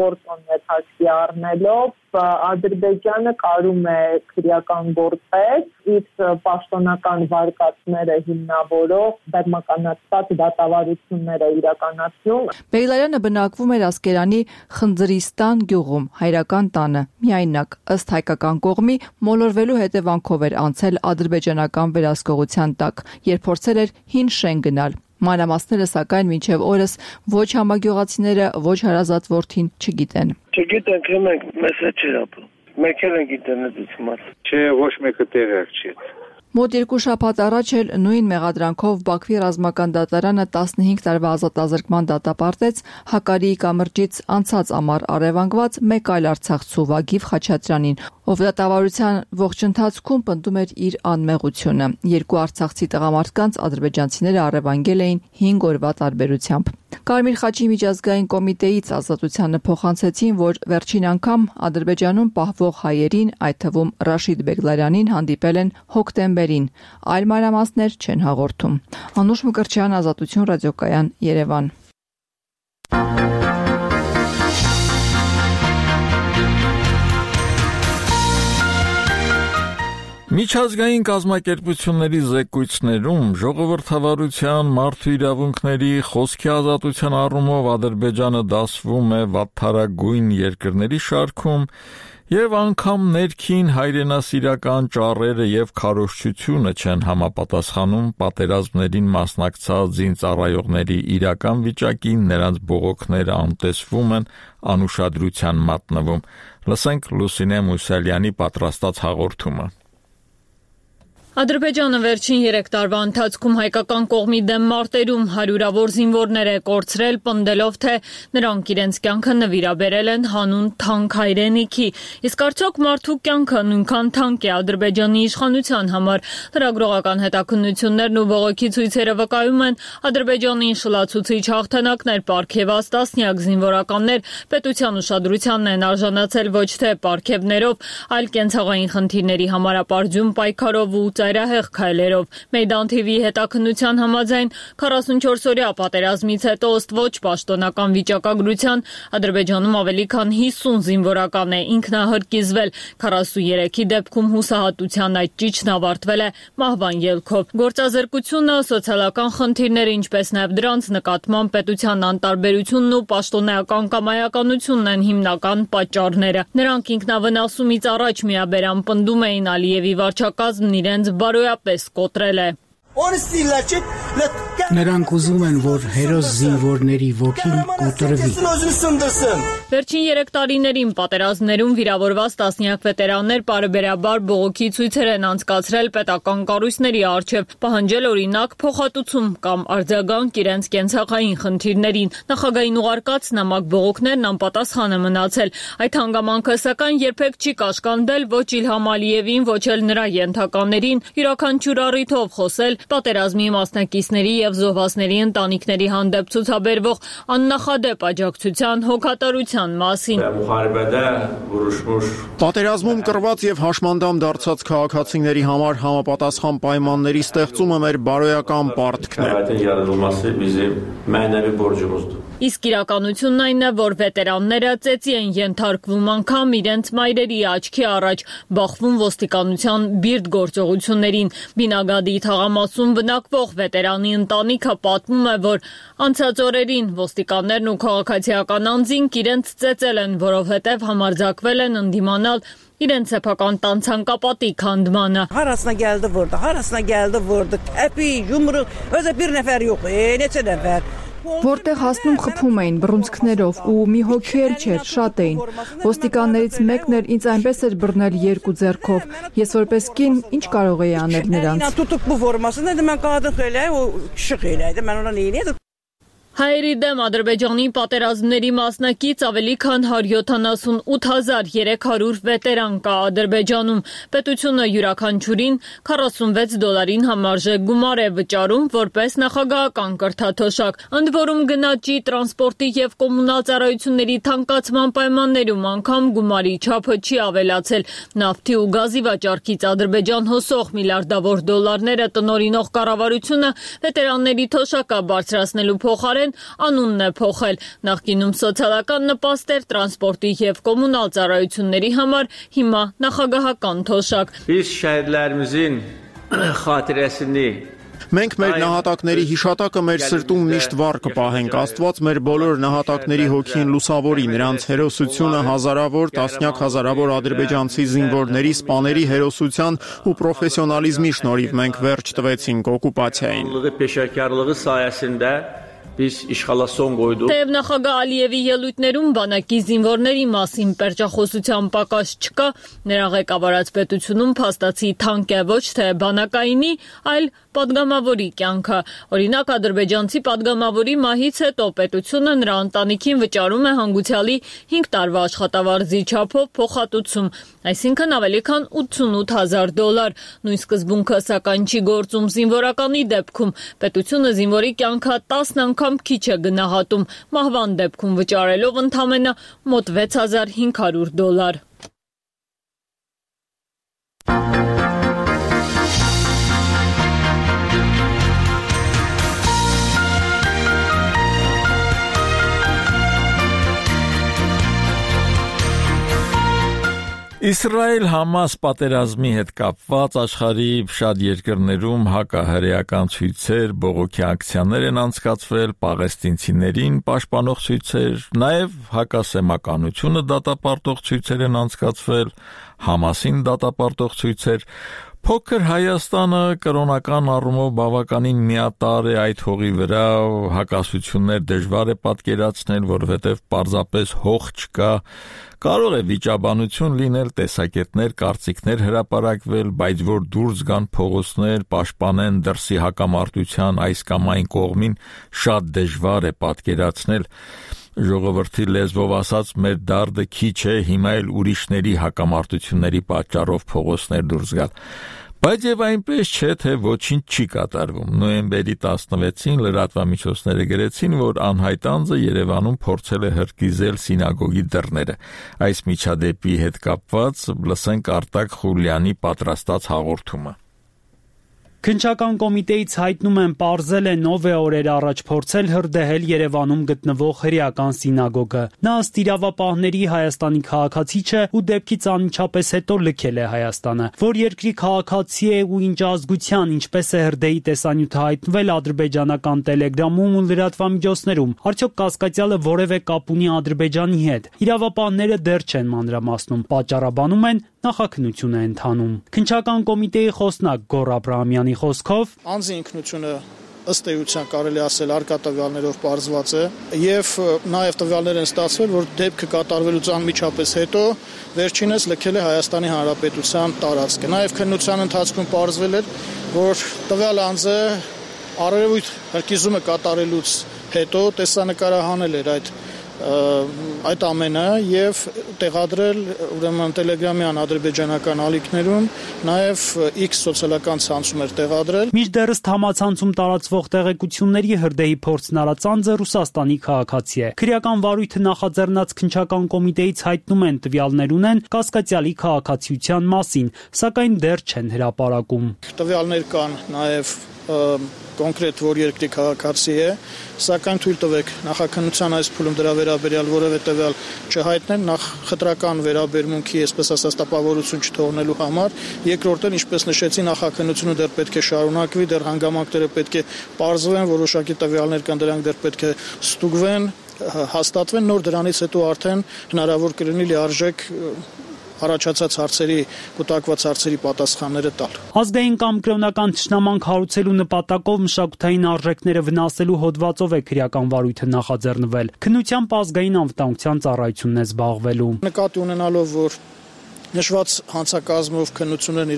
գործոններ հաշվի առնելով Ադրբեջանը կարում է քրեական գործեր իր պաշտոնական վարկածները հիմնավորող բեմականացված դատավարությունները իրականացնում։ Բեգլարյանը բնակվում էր Ասկերանի Խնձրիստան գյուղում, հայրական տանը, միայնակ ըստ հայկական կողմի մոլորվելու հետևանքով էր անցել ադրբեջանական վերահսկողության տակ, երբ փորձել էր հին շեն գնալ։ Մանրամասները սակայն մինչև օրս ոչ համագյուղացիները, ոչ հարազատ որդին չգիտեն։ Չգիտենք, մենք մեզ հետ չէր ապրում։ Մենք էլ ենք ինտերնետից մաց։ Չէ, ոչ մեկը տեղյակ չի։ Մոտ 2 շաբաթ առաջ էլ նույն մեղադրանքով Բաքվի ռազմական դատարանը 15 տարվա ազատազրկման դատապարտեց Հակարիի կամրջից անցած ամառ առևանգված մեկ այլ արցախցու Վագիվ Խաչատրյանին, ով դատավարության ողջ ընթացքում պնդում էր իր անմեղությունը։ Երկու արցախցի տղամարդկանց ադրբեջանցիները առևանգել էին 5 օրվա տարբերությամբ։ Կարմիր խաչի միջազգային կոմիտեից ազատությանը փոխանցեցին, որ վերջին անգամ Ադրբեջանում պահվող հայերին, այդ թվում Ռաշիդ Բեգլարյանին հանդիպել են հոկտեմբերին։ Այլ մանրամասներ չեն հաղորդում։ Անուշ Մկրտչյան, Ազատություն ռադիոկայան, Երևան։ Միջազգային կազմակերպությունների զեկույցներում ժողովրդավարության, մարդու իրավունքների, խոսքի ազատության առումով Ադրբեջանը դասվում է վատթարագույն երկրների շարքում եւ անգամ ներքին հայրենասիրական ճառերը եւ քարոզչությունը չեն համապատասխանում պատերազմներին մասնակցած զինծառայողների իրական վիճակին, նրանց բողոքները անտեսվում են, անուշադրության մատնվում։ Լսենք Լուսինե Մուսալյանի պատրաստած հաղորդումը։ Ադրբեջանը վերջին 3 տարվա ընթացքում հայկական կողմի դեմ մարտերում հարյուրավոր զինվորներ է կորցրել, պնդելով, թե նրանք իրենց կյանքը նվիրաբերել են հանուն թանկ հայրենիքի։ Իսկ արդյոք մարդու կյանքը նույնքան թանկ է Ադրբեջանի իշխանության համար։ Լրագրողական հետաքննություններն ու բողոքի ցույցերը վկայում են, Ադրբեջանին շլացուցիչ հաղթանակներ պարգևած տասնյակ զինվորականներ պետության ուշադրությանն են արժանացել ոչ թե պարգևներով, այլ կենցաղային խնդիրների համարապարծում պայքարով ու ծայրահեղ քայլերով։ Մեյդան TV-ի հետաքննության համաձայն 44-օրյա պատերազմից հետո ըստ ոչ պաշտոնական վիճակագրության Ադրբեջանում ավելի քան 50 զինվորական է ինքնահրկիզվել, 43-ի դեպքում հուսահատության այդ ճիճն ավարտվել է մահվան ելքով։ Գործազրկությունը, սոցիալական խնդիրները, ինչպես նաև դրանց նկատմամբ պետության անտարբերությունն ու պաշտոնեական կամայականությունն են հիմնական պատճառները։ Նրանք ինքնավնասումից առաջ միաբերան պնդում էին Ալիևի վարչակազմն իրենց բարոյապես կոտրել է։ Նրանք ուզում են, որ հերոս զինվորների ոգին կոտրվի։ Վերջին 3 տարիներին պատերազմներում վիրավորված տասնյակ վետերաններ պարբերաբար բողոքի ցույցեր են անցկացրել պետական կառույցների առջև, պահանջել օրինակ փոխհատուցում կամ արձագանք իրենց կենցաղային խնդիրներին։ Նախագահային ուղարկած նամակ բողոքներն անպատասխան է մնացել։ Այդ հանգամանքը սակայն երբեք չի կաշկանդել ոչ Իլհամ Ալիևին, ոչ էլ նրա ենթականերին, յուրաքանչյուր առիթով խոսել պատերազմի մասնակիցների եւ զոհվածների ընտանիքների հանդեպ ցուցաբերվող աննախադեպ աջակցության, հոգատարության մասին։ Պատերազմում կռված եւ հաշմանդամ դարձած քաղաքացիների համար համապատասխան պայմանների ստեղծումը մեր բարոյական պարտքն է։ Իսկ իրականությունն այն է, որ վետերանները ծեծի են ենթարկվում անգամ իրենց մայրերի աչքի առաջ, բախվում ոստիկանության բիրտ գործողություններին։ Բինագադի թաղամասում բնակվող վետերանի ընտանիքը պատմում է, որ անցած օրերին ոստիկաններն ու քաղաքացիական անձինք իրենց ծեծել են, որովհետև համարձակվել են ընդդիմանալ իրենց սեփական տան ցանկապատի քանդմանը։ Հարասına geldi vurdu. Epi, yumruq, özə bir nəfər yox, neçə nəfər. Որտեղ հասնում խփում էին բռունցքներով ու մի հոգի էլ չէր, շատ էին։ Ոստիկաններից մեկն էլ ինձ այնպես էր բռնել 2 ձեռքով։ Ես որպես կին ինչ կարող էի անել նրանց։ Tutuq bu formasını dedim mən qadın xeylə, o kişi xeylə, mən ona nə edirəm? Հայերի դեմ Ադրբեջանի պատերազմների մասնակից ավելի քան 178,300 վետերան կա Ադրբեջանում։ Պետությունը յուրաքանչյուրին $46 համարժեք գումար է վճարում որպես նախագահական կրթաթոշակ։ Ընդ որում գնաճի, տրանսպորտի եւ կոմունալ ծառայությունների թանկացման պայմաններում անգամ գումարի չափը չի ավելացել։ Նավթի ու գազի վաճառքից Ադրբեջան հոսող միլիարդավոր դոլարները տնօրինող կառավարությունը վետերանների թոշակը բարձրացնելու փոխարեն անունն է փոխել։ Նախկինում սոցիալական նպաստ էր տրանսպորտի եւ կոմունալ ծառայությունների համար, հիմա նախագահական թոշակ։ Biz şəhidlərimizin xatirəsini Մենք մեր նահատակների հիշատակը մեր սրտում միշտ վառ կպահենք։ Աստված մեր բոլոր նահատակների հոգին լուսավորի, նրանց հերոսությունը հազարավոր, տասնյակ հազարավոր ադրբեջանցի զինվորների, սպաների հերոսության ու պրոֆեսիոնալիզմի շնորհիվ մենք վերջ տվեցինք օկուպացիային։ Peşəkarlığı sayəsində biz işğala son qoyduq. Թեև նախագահ Ալիևի ելույթներում բանակի զինվորների մասին պերճախոսության պակաս չկա, նրա ղեկավարած պետությունում փաստացի թանկ է ոչ թե բանակայինի, այլ պատգամավորի կյանքը։ Օրինակ ադրբեջանցի պատգամավորի մահից հետո պետությունը նրա ընտանիքին վճարում է հանգուցյալի 5 տարվա աշխատավարձի չափով փոխհատուցում, այսինքն ավելի քան $88,000։ Նույն սկզբունքը սակայն չի գործում զինվորականի դեպքում։ Պետությունը զինվորի կյանքը 10 անգամ քիչ է գնահատում, մահվան դեպքում վճարելով ընդամենը մոտ $6,500։ Իսրայել-Համաս պատերազմի հետ կապված աշխարհի շատ երկրներում հակահրեական ցույցեր, բողոքի ակցիաներ են անցկացվել, պաղեստինցիներին պաշտպանող ցույցեր, նաև հակասեմականությունը դատապարտող ցույցեր են անցկացվել, Համասին դատապարտող ցույցեր։ Փոքր Հայաստանը կրոնական առումով բավականին միատարր է այդ հողի վրա, հակասություններ դժվար է պատկերացնել, որովհետև պարզապես հող չկա, կարող է վիճաբանություն լինել, տեսակետներ, կարծիքներ հրապարակվել, բայց որ դուրս գան փողոցներ, պաշտպանեն դրսի հակամարտության այս կամ այն կողմին, շատ դժվար է պատկերացնել։ Ժողովրդի լեզվով ասած, մեր դարդը քիչ է, հիմա էլ ուրիշների հակամարտությունների պատճառով փողոցներ դուրս գալ։ Բայց եւ այնպես չէ, թե ոչինչ չի կատարվում։ Նոյեմբերի 16-ին լրատվամիջոցները գրեցին, որ անհայտ անձը Երևանում փորձել է հրկիզել սինագոգի դռները։ Այս միջադեպի հետ կապված լսենք Արտակ Խուլյանի պատրաստած հաղորդումը։ Քննչական կոմիտեից հայտնում են պարզել է Նովե օրեր առաջ փորձել հրդեհել Երևանում գտնվող հրեական սինագոգը։ Նա ըստ իրավապահների Հայաստանի քաղաքացի չէ ու դեպքից անմիջապես հետո լքել է Հայաստանը։ Որ երկրի քաղաքացի է ու ինչ ազգության, ինչպես է հրդեհի տեսանյութը հայտնվել ադրբեջանական Telegram-ում ու լրատվամիջոցներում։ Արդյոք կասկածյալը որևէ կապ ունի Ադրբեջանի հետ։ Իրավապահները դեռ չեն մանրամասնում, պատճառաբանում են նախաքննություն է ընթանում։ Քննչական կոմիտեի խոսնակ Գոռ Աբրահամյանի խոսքով անձի ինքնությունը ըստ էության կարելի ասել արկա տվյալներով պարզված է եւ նաեւ տվյալներ են ստացվել, որ դեպքը կատարվելուց անմիջապես հետո վերջինս լքել է Հայաստանի Հանրապետության տարածքը։ Նաեւ քննության ընթացքում պարզվել էր, որ տվյալ անձը առերևույթ հրկիզումը կատարելուց հետո տեսանկարահանել էր այդ ամենը եւ տեղադրել ուրեմն Telegram-յան ադրբեջանական ալիքներում, նաեւ X սոցիալական ցանցում էր տեղադրել։ Մինչդեռ համացանցում տարածվող տեղեկությունների հրդեհի փորձն արած անձը Ռուսաստանի քաղաքացի է։ Քրեական վարույթը նախաձեռնած քննչական կոմիտեից հայտնում են տվյալներ ունեն կասկածյալի քաղաքացիության մասին, սակայն դեռ չեն հրապարակում։ Տվյալներ կան նաեւ կոնկրետ որ երկրի քաղաքացի է, սակայն թույլ տվեք նախաքննության այս փուլում դրա վերաբերյալ որևէ տվյալ չհայտնել, նախ խտրական վերաբերմունքի, այսպես ասած, տպավորություն չթողնելու համար, երկրորդն, ինչպես նշեցի, նախաքննությունը դեռ պետք է շարունակվի, դեռ հանգամանքները պետք է պարզվեն, որոշակի տվյալներ կան, դրանք դեռ պետք է ստուգվեն, հաստատվեն, նոր դրանից հետո արդեն հնարավոր կլինի լիարժեք առաջացած հարցերի, կուտակված հարցերի պատասխանները տալ։ Ազգային կամ կրոնական թշնամանք հարուցելու նպատակով մշակութային արժեքները վնասելու հոդվածով է քրեական վարույթը նախաձեռնվել։ Քննությամբ ազգային անվտանգության ծառայությունն է զբաղվելու։ Նկատի ունենալով, որ նշված հանցակազմով քննություններն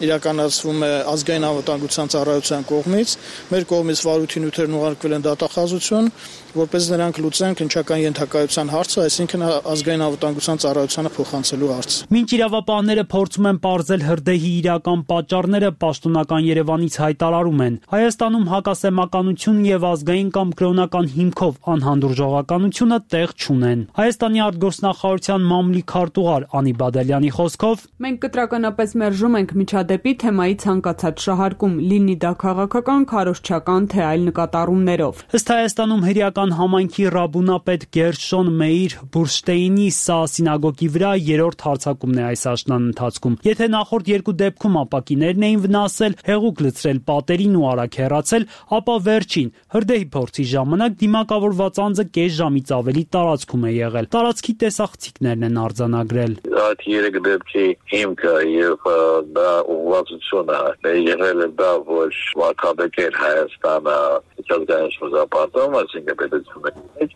իրականացվում է ազգային անվտանգության ծառայության կողմից, մեր կողմից վարույթի նյութերն ուղարկվել են դատախազություն, որպես նրանք լուծեն քննչական ենթակայության հարցը, այսինքն ազգային անվտանգության ծառայությանը փոխանցելու հարց։ Մինչ իրավապահները փորձում են պարզել հրդեհի իրական պատճառները, պաշտոնական Երևանից հայտարարում են. Հայաստանում հակասեմականություն եւ ազգային կամ կրոնական հիմքով անհանդուրժողականությունը տեղ չունեն։ Հայաստանի արտգործնախարարության մամուլի քարտուղար Անի Բադալյանի խոսքով. Մենք կտրականապես մերժում ենք միջադեպի թեմայի ցանկացած շահարկում, լինի դա քաղաքական, քարոզչական թե այլ նկատառումներով։ Ըստ Հայաստանում հրեական համայնքի ռաբունապետ Գերշոն Մեիր Բուրշտեյնի սա սինագոգի վրա երրորդ հարձակումն է այս աշնան ընթացքում։ Եթե նախորդ երկու դեպքում ապակիներն էին վնասել, հեղուկ լցրել պատերին ու արագ հեռացել, ապա վերջին հրդեհի փորձի ժամանակ դիմակավորված անձը կես ժամից ավելի տարածքում է եղել։ Տարածքի տեսախցիկներն են արձանագրել։ Այդ երեք դեպքի հիմքը եւ դա ուղղվածությունը եղել է դա, որ վարկաբեկեր Հայաստանը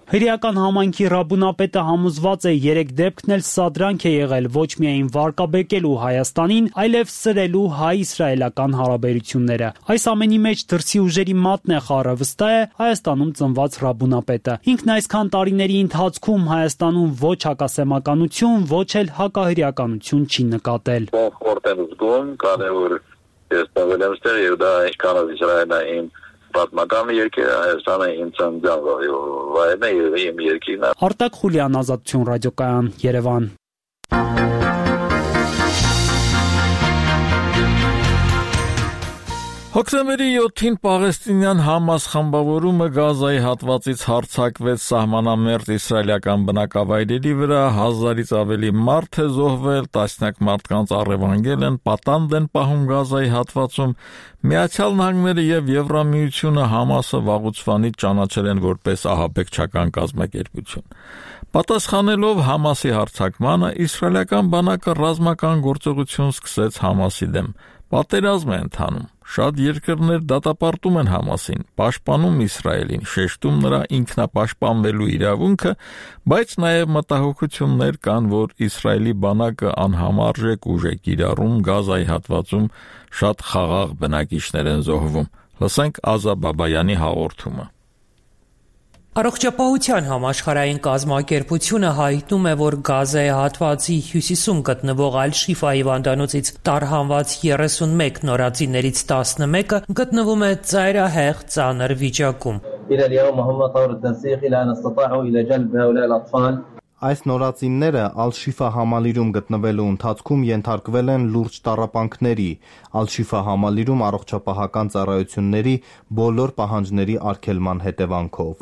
Հրեական համայնքի ռաբունապետը համոզված է երեք դեպքն էլ սադրանք է եղել ոչ միայն վարկաբեկելու Հայաստանին, այլև սրելու հայ-իսրայելական հարաբերությունները։ Այս ամենի մեջ դրսի ուժերի մատն է խառը, վստահ է Հայաստանում ծնված ռաբունապետը։ Ինքն այսքան տարիների ընթացքում Հայաստանում ոչ հակասեմականություն, ոչ էլ հակահրեականություն չի նկատել։ Պատմական երկիր Հայաստանը իմ ծննդյան եւ իմ երկիրն է։ Արտակ Խուլյան, Ազատություն ռադիոկայան, Երևան։ Հոկտեմբերի 7-ին պաղեստինյան Համաս խմբավորումը Գազայի հատվածից հարձակվեց սահմանամերձ իսրայելական բնակավայրերի վրա, 1000-ից ավելի մարդ է զոհվել, տասնյակ մարդկանց առևանգել են, պատանդ են պահում Գազայի հատվածում։ Միացյալ Նահանգները եւ Եվրամիությունը Համասը վաղուց ճանաչել են որպես ահաբեկչական կազմակերպություն։ Պատասխանելով Համասի հարձակմանը, իսրայելական բանակը ռազմական գործողություն սկսեց Համասի դեմ։ Պատերազմ է ընթանում։ Շատ երկրներ դատապարտում են Համասին, պաշտպանում Իսրայելին, շեշտում նրա ինքնապաշտպանվելու իրավունքը, բայց նաև մտահոգություններ կան, որ Իսրայելի բանակը անհամարժեք ուժ է կիրառում Գազայի հատվածում, շատ խաղաղ բնակիչներ են զոհվում։ Լսենք Ազա Բաբայանի հաղորդումը։ Առողջապահության համաշխարհային կազմակերպությունը հայտնում է, որ Գազայի հատվածի հյուսիսում գտնվող Ալ-Շիֆա հիվանդանոցից տարհանված 31 նորածիներից 11-ը գտնվում է ծայրահեղ ծանր վիճակում։ Այս նորածինները Ալ-Շիֆա համալիրում գտնվելու ընթացքում ենթարկվել են լուրջ տառապանքների, Ալ-Շիֆա համալիրում առողջապահական ծառայությունների բոլոր պահանջների արգելման հետևանքով։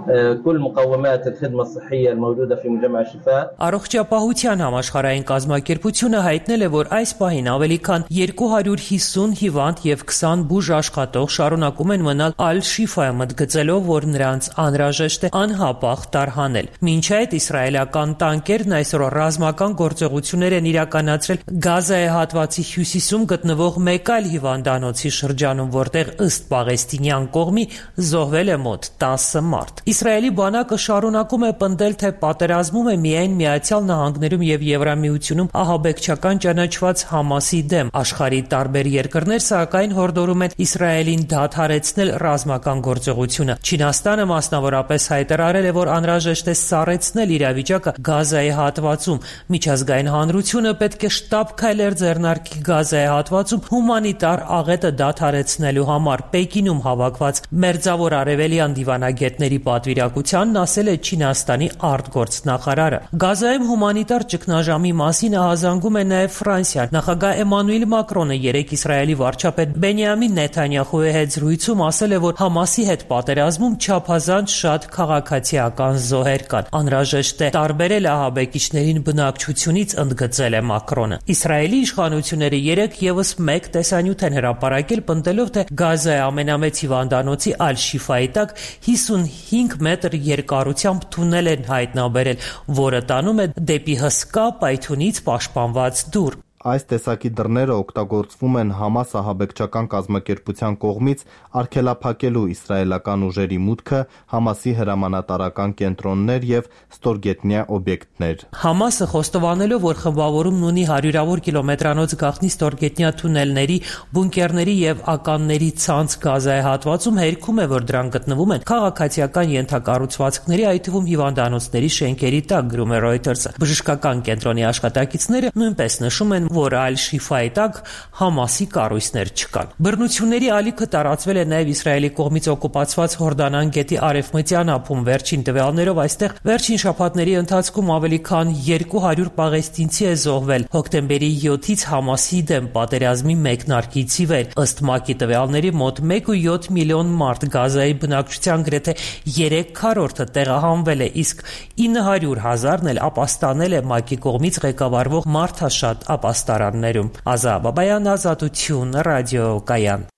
Առողջապահության համաշխարհային կազմակերպությունը հայտնել է, որ այս պահին ավելի քան 250 հիվանդ եւ 20 բուժ աշխատող շարունակում են մնալ Ալ-Շիֆայում մտգծելով, որ նրանց անհրաժեշտ է անհապաղ տարհանել։ Մինչ այդ իսրայելական տանկերն այսօր ռազմական գործողություններ են իրականացրել Գազայի հատվածի հյուսիսում գտնվող մեկ այլ հիվանդանոցի շրջանում, որտեղ ըստ պաղեստինյան կողմի զոհվել է մոտ 10 մարդ։ Իսրայելի բանակը շարունակում է պնդել, թե պատերազմում է միայն Միացյալ Նահանգներում եւ Եվրամիությունում ահաբեկչական ճանաչված Համասի դեմ։ Աշխարհի տարբեր երկրներ սակայն հորդորում են Իսրայելին դադարեցնել ռազմական գործողությունը։ Չինաստանը մասնավորապես հայտարարել է, որ անհրաժեշտ է սառեցնել իրավիճակը Գազայի հատվածում։ Միջազգային հանրությունը պետք է շտապ քայլեր ձեռնարկի Գազայի հատվածում հումանիտար աղետը դադարեցնելու համար։ Պեկինում հավաքված Մերձավոր Արևելյան դիվանագետների պատվիրակությանն ասել է Չինաստանի արտգործնախարարը։ Գազայում հումանիտար ճգնաժամի մասին ահազանգում է նաև Ֆրանսիան։ Նախագահ Էմանուել Մակրոնը երեկ Իսրայելի վարչապետ Բենյամին Նեթանյախուի հետ զրույցում ասել է, որ Համասի հետ պատերազմում չափազանց շատ քաղաքացիական զոհեր կան։ Անհրաժեշտ է տարբերել ահաբեկիչներին բնակչությունից, ընդգծել է Մակրոնը։ Իսրայելի իշխանությունները երեկ եւս մեկ տեսանյութ են հրապարակել, պնդելով, թե Գազայի ամենամեծ հիվանդանոցի Ալ-Շիֆայի տակ 55 մետր երկարությամբ թունել են հայտնաբերել, որը տանում է դեպի հսկա պայթյունից պաշտպանված դուռ։ Այս տեսակի դռները օգտագործվում են Համաս ահաբեկչական կազմակերպության կողմից արգելափակելու իսրայելական ուժերի մուտքը Համասի հրամանատարական կենտրոններ եւ ստորգետնյա օբյեկտներ։ Համասը խոստովանելով, որ խմբավորումն ունի հարյուրավոր կիլոմետրանոց գաղտնի ստորգետնյա թունելների, բունկերների եւ ականների ցանց Գազայի հատվածում, հերքում է, որ դրանք գտնվում են քաղաքացիական ենթակառուցվածքների, այդ թվում հիվանդանոցների շենքերի տակ, գրում է Reuters-ը։ Բժշկական կենտրոնի աշխատակիցները նույնպես նշում են, որ Ալ-Շիֆայի տակ Համասի կառույցներ չկան։ Բռնությունների ալիքը տարածվել է նաև Իսրայելի կողմից օկուպացված Հորդանան գետի արևմտյան ափում։ Վերջին տվյալներով այստեղ վերջին շաբաթների ընթացքում ավելի քան 200 պաղեստինցի է զոհվել հոկտեմբերի 7-ից Համասի դեմ պատերազմի մեկնարկից ի վեր։ Ըստ ՄԱԿ-ի տվյալների մոտ 1.7 միլիոն մարդ Գազայի բնակչության գրեթե 3/4-ը տեղահանվել է, իսկ 900,000-ն էլ ապաստանել է ՄԱԿ-ի կողմից ղեկավարվող մարդաշատ ապաստարաններում։ Ազա Բաբայան, Ազատություն, ռադիոկայան։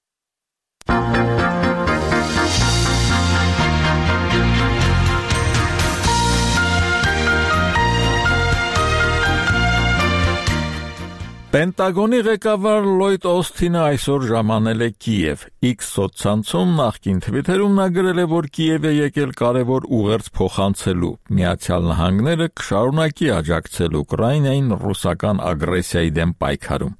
Պենտագոնի ղեկավար Լոյդ Օսթինը այսօր ժամանել է Կիև։ X սոցցանցում նախկին թվիթերում նա գրել է, որ Կիև է եկել կարևոր ուղերձ փոխանցելու։ Միացյալ Նահանգները կշարունակի աջակցել Ուկրաինային ռուսական ագրեսիայի դեմ պայքարում։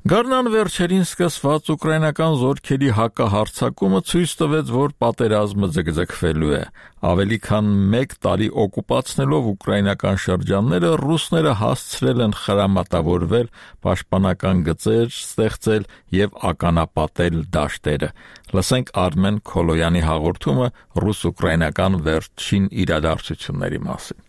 Գարնան վերջերին սկսված ուկրաինական զորքերի հակահարձակումը ցույց տվեց, որ պատերազմը ձգձգվելու է։ Ավելի քան 1 տարի օկուպացնելով ուկրաինական շրջանները, ռուսները հասցրել են խրամատավորվել, պաշտպանական գծեր ստեղծել եւ ականապատել դաշտերը։ Լսենք Արմեն Քոլոյանի հաղորդումը ռուս-ուկրաինական վերջին իրադարձությունների մասին։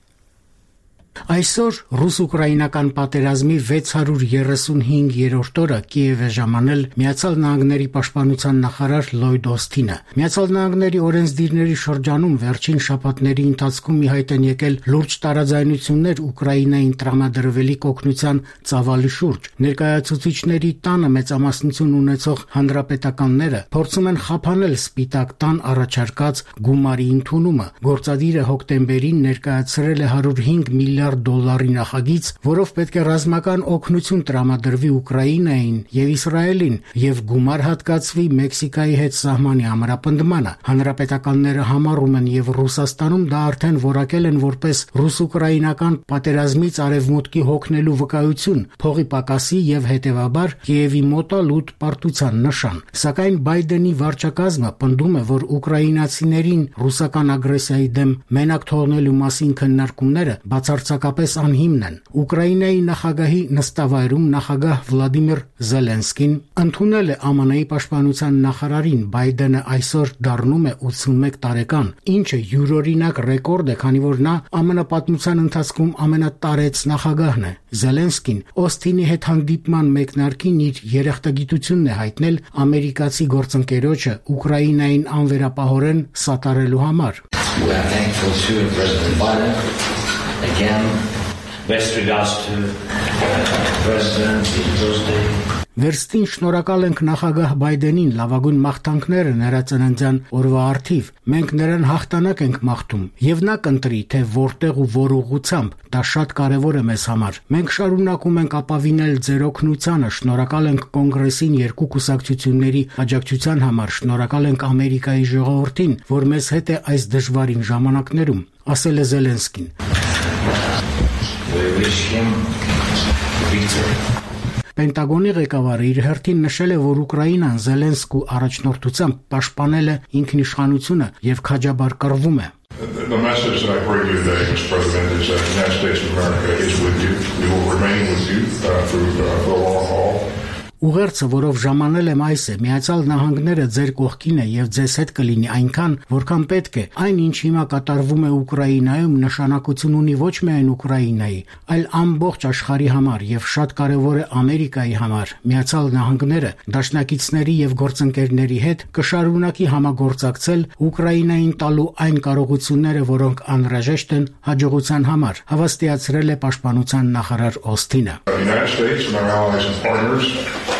Այսօր ռուս-ուկրաինական պատերազմի 635-րդ օրը Կիև է ժամանել Միացյալ Նահանգների պաշտպանության նախարար Լոյդ Օսթինը։ Միացյալ Նահանգների օրենսդիրների շրջանում վերջին շաբաթների ընթացքում ի հայտ են եկել լուրջ տարաձայնություններ Ուկրաինային տրամադրվելիք օգնության ծավալի շուրջ։ Ներկայացուցիչների տանը մեծամասնություն ունեցող հանրապետականները փորձում են խափանել Սպիտակ տան առաջարկած գումարի ընդունումը։ Գործադիրը հոկտեմբերին ներկայացրել է $105 միլիարդ նախագիծ, որով պետք է ռազմական օգնություն տրամադրվի Ուկրաինային եւ Իսրայելին եւ գումար հատկացվի Մեքսիկայի հետ սահմանի ամրապնդմանը։ Հանրապետականները համառում են եւ Ռուսաստանում դա արդեն որակել են որպես ռուս-ուկրաինական պատերազմից արևմուտքի հոգնելու վկայություն, փողի պակասի եւ հետեւաբար Կիևի մոտալուտ պարտության նշան։ Սակայն Բայդենի վարչակազմը պնդում է, որ ուկրաինացիներին ռուսական ագրեսիայի դեմ մենակ թողնելու մասին քննարկումները բացարձակ բացասակապես անհիմն են։ Ուկրաինայի նախագահի նստավայրում նախագահ Վլադիմիր Զելենսկին ընդունել է ԱՄՆ-ի պաշտպանության նախարարին, Բայդենը այսօր դառնում է 81 տարեկան, ինչը յուրօրինակ ռեկորդ է, քանի որ նա ԱՄՆ պատմության ընթացքում ամենատարեց նախագահն է։ Զելենսկին Օսթինի հետ հանդիպման մեկնարկին իր երախտագիտությունն է հայտնել ամերիկացի գործընկերոջը Ուկրաինային անվերապահորեն սատարելու համար։ We are thankful to President Biden. Again, best regards to President Tuesday. Վերստին շնորհակալ ենք նախագահ Բայդենին, լավագույն մաղթանքները նրա ծննդյան օրվա առթիվ։ Մենք նրան հաղթանակ ենք մաղթում, եւ նա կընտրի, թե որտեղ ու որ ուղղությամբ, դա շատ կարեւոր է մեզ համար։ Մենք շարունակում ենք ապավինել ձեր օգնությանը, շնորհակալ ենք կոնգրեսին երկու կուսակցությունների աջակցության համար, շնորհակալ ենք Ամերիկայի ժողովրդին, որ մեզ հետ է այս դժվարին ժամանակներում, ասել է Զելենսկին։ Պենտագոնի ղեկավարը իր հերթին նշել է, որ Ուկրաինան Զելենսկու առաջնորդությամբ պաշտպանել է ինքնիշխանությունը եւ քաջաբար կռվում է։ The message that I bring you today, Mr. President, is that the United States of America is with you. We will remain with you through the long haul. Ուղերձը, որով ժամանել եմ այս է, Միացյալ Նահանգները ձեր կողքին է եւ ձեզ հետ կլինի այնքան, որքան պետք է։ Այն, ինչ հիմա կատարվում է Ուկրաինայում, նշանակություն ունի ոչ միայն Ուկրաինայի, այլ ամբողջ աշխարհի համար եւ շատ կարեւոր է Ամերիկայի համար։ Միացյալ Նահանգները դաշնակիցների եւ գործընկերների հետ կշարունակի համագործակցել Ուկրաինային տալու այն կարողությունները, որոնք անհրաժեշտ են հաջողության համար, հավաստիացրել է պաշտպանության նախարար Օսթինը։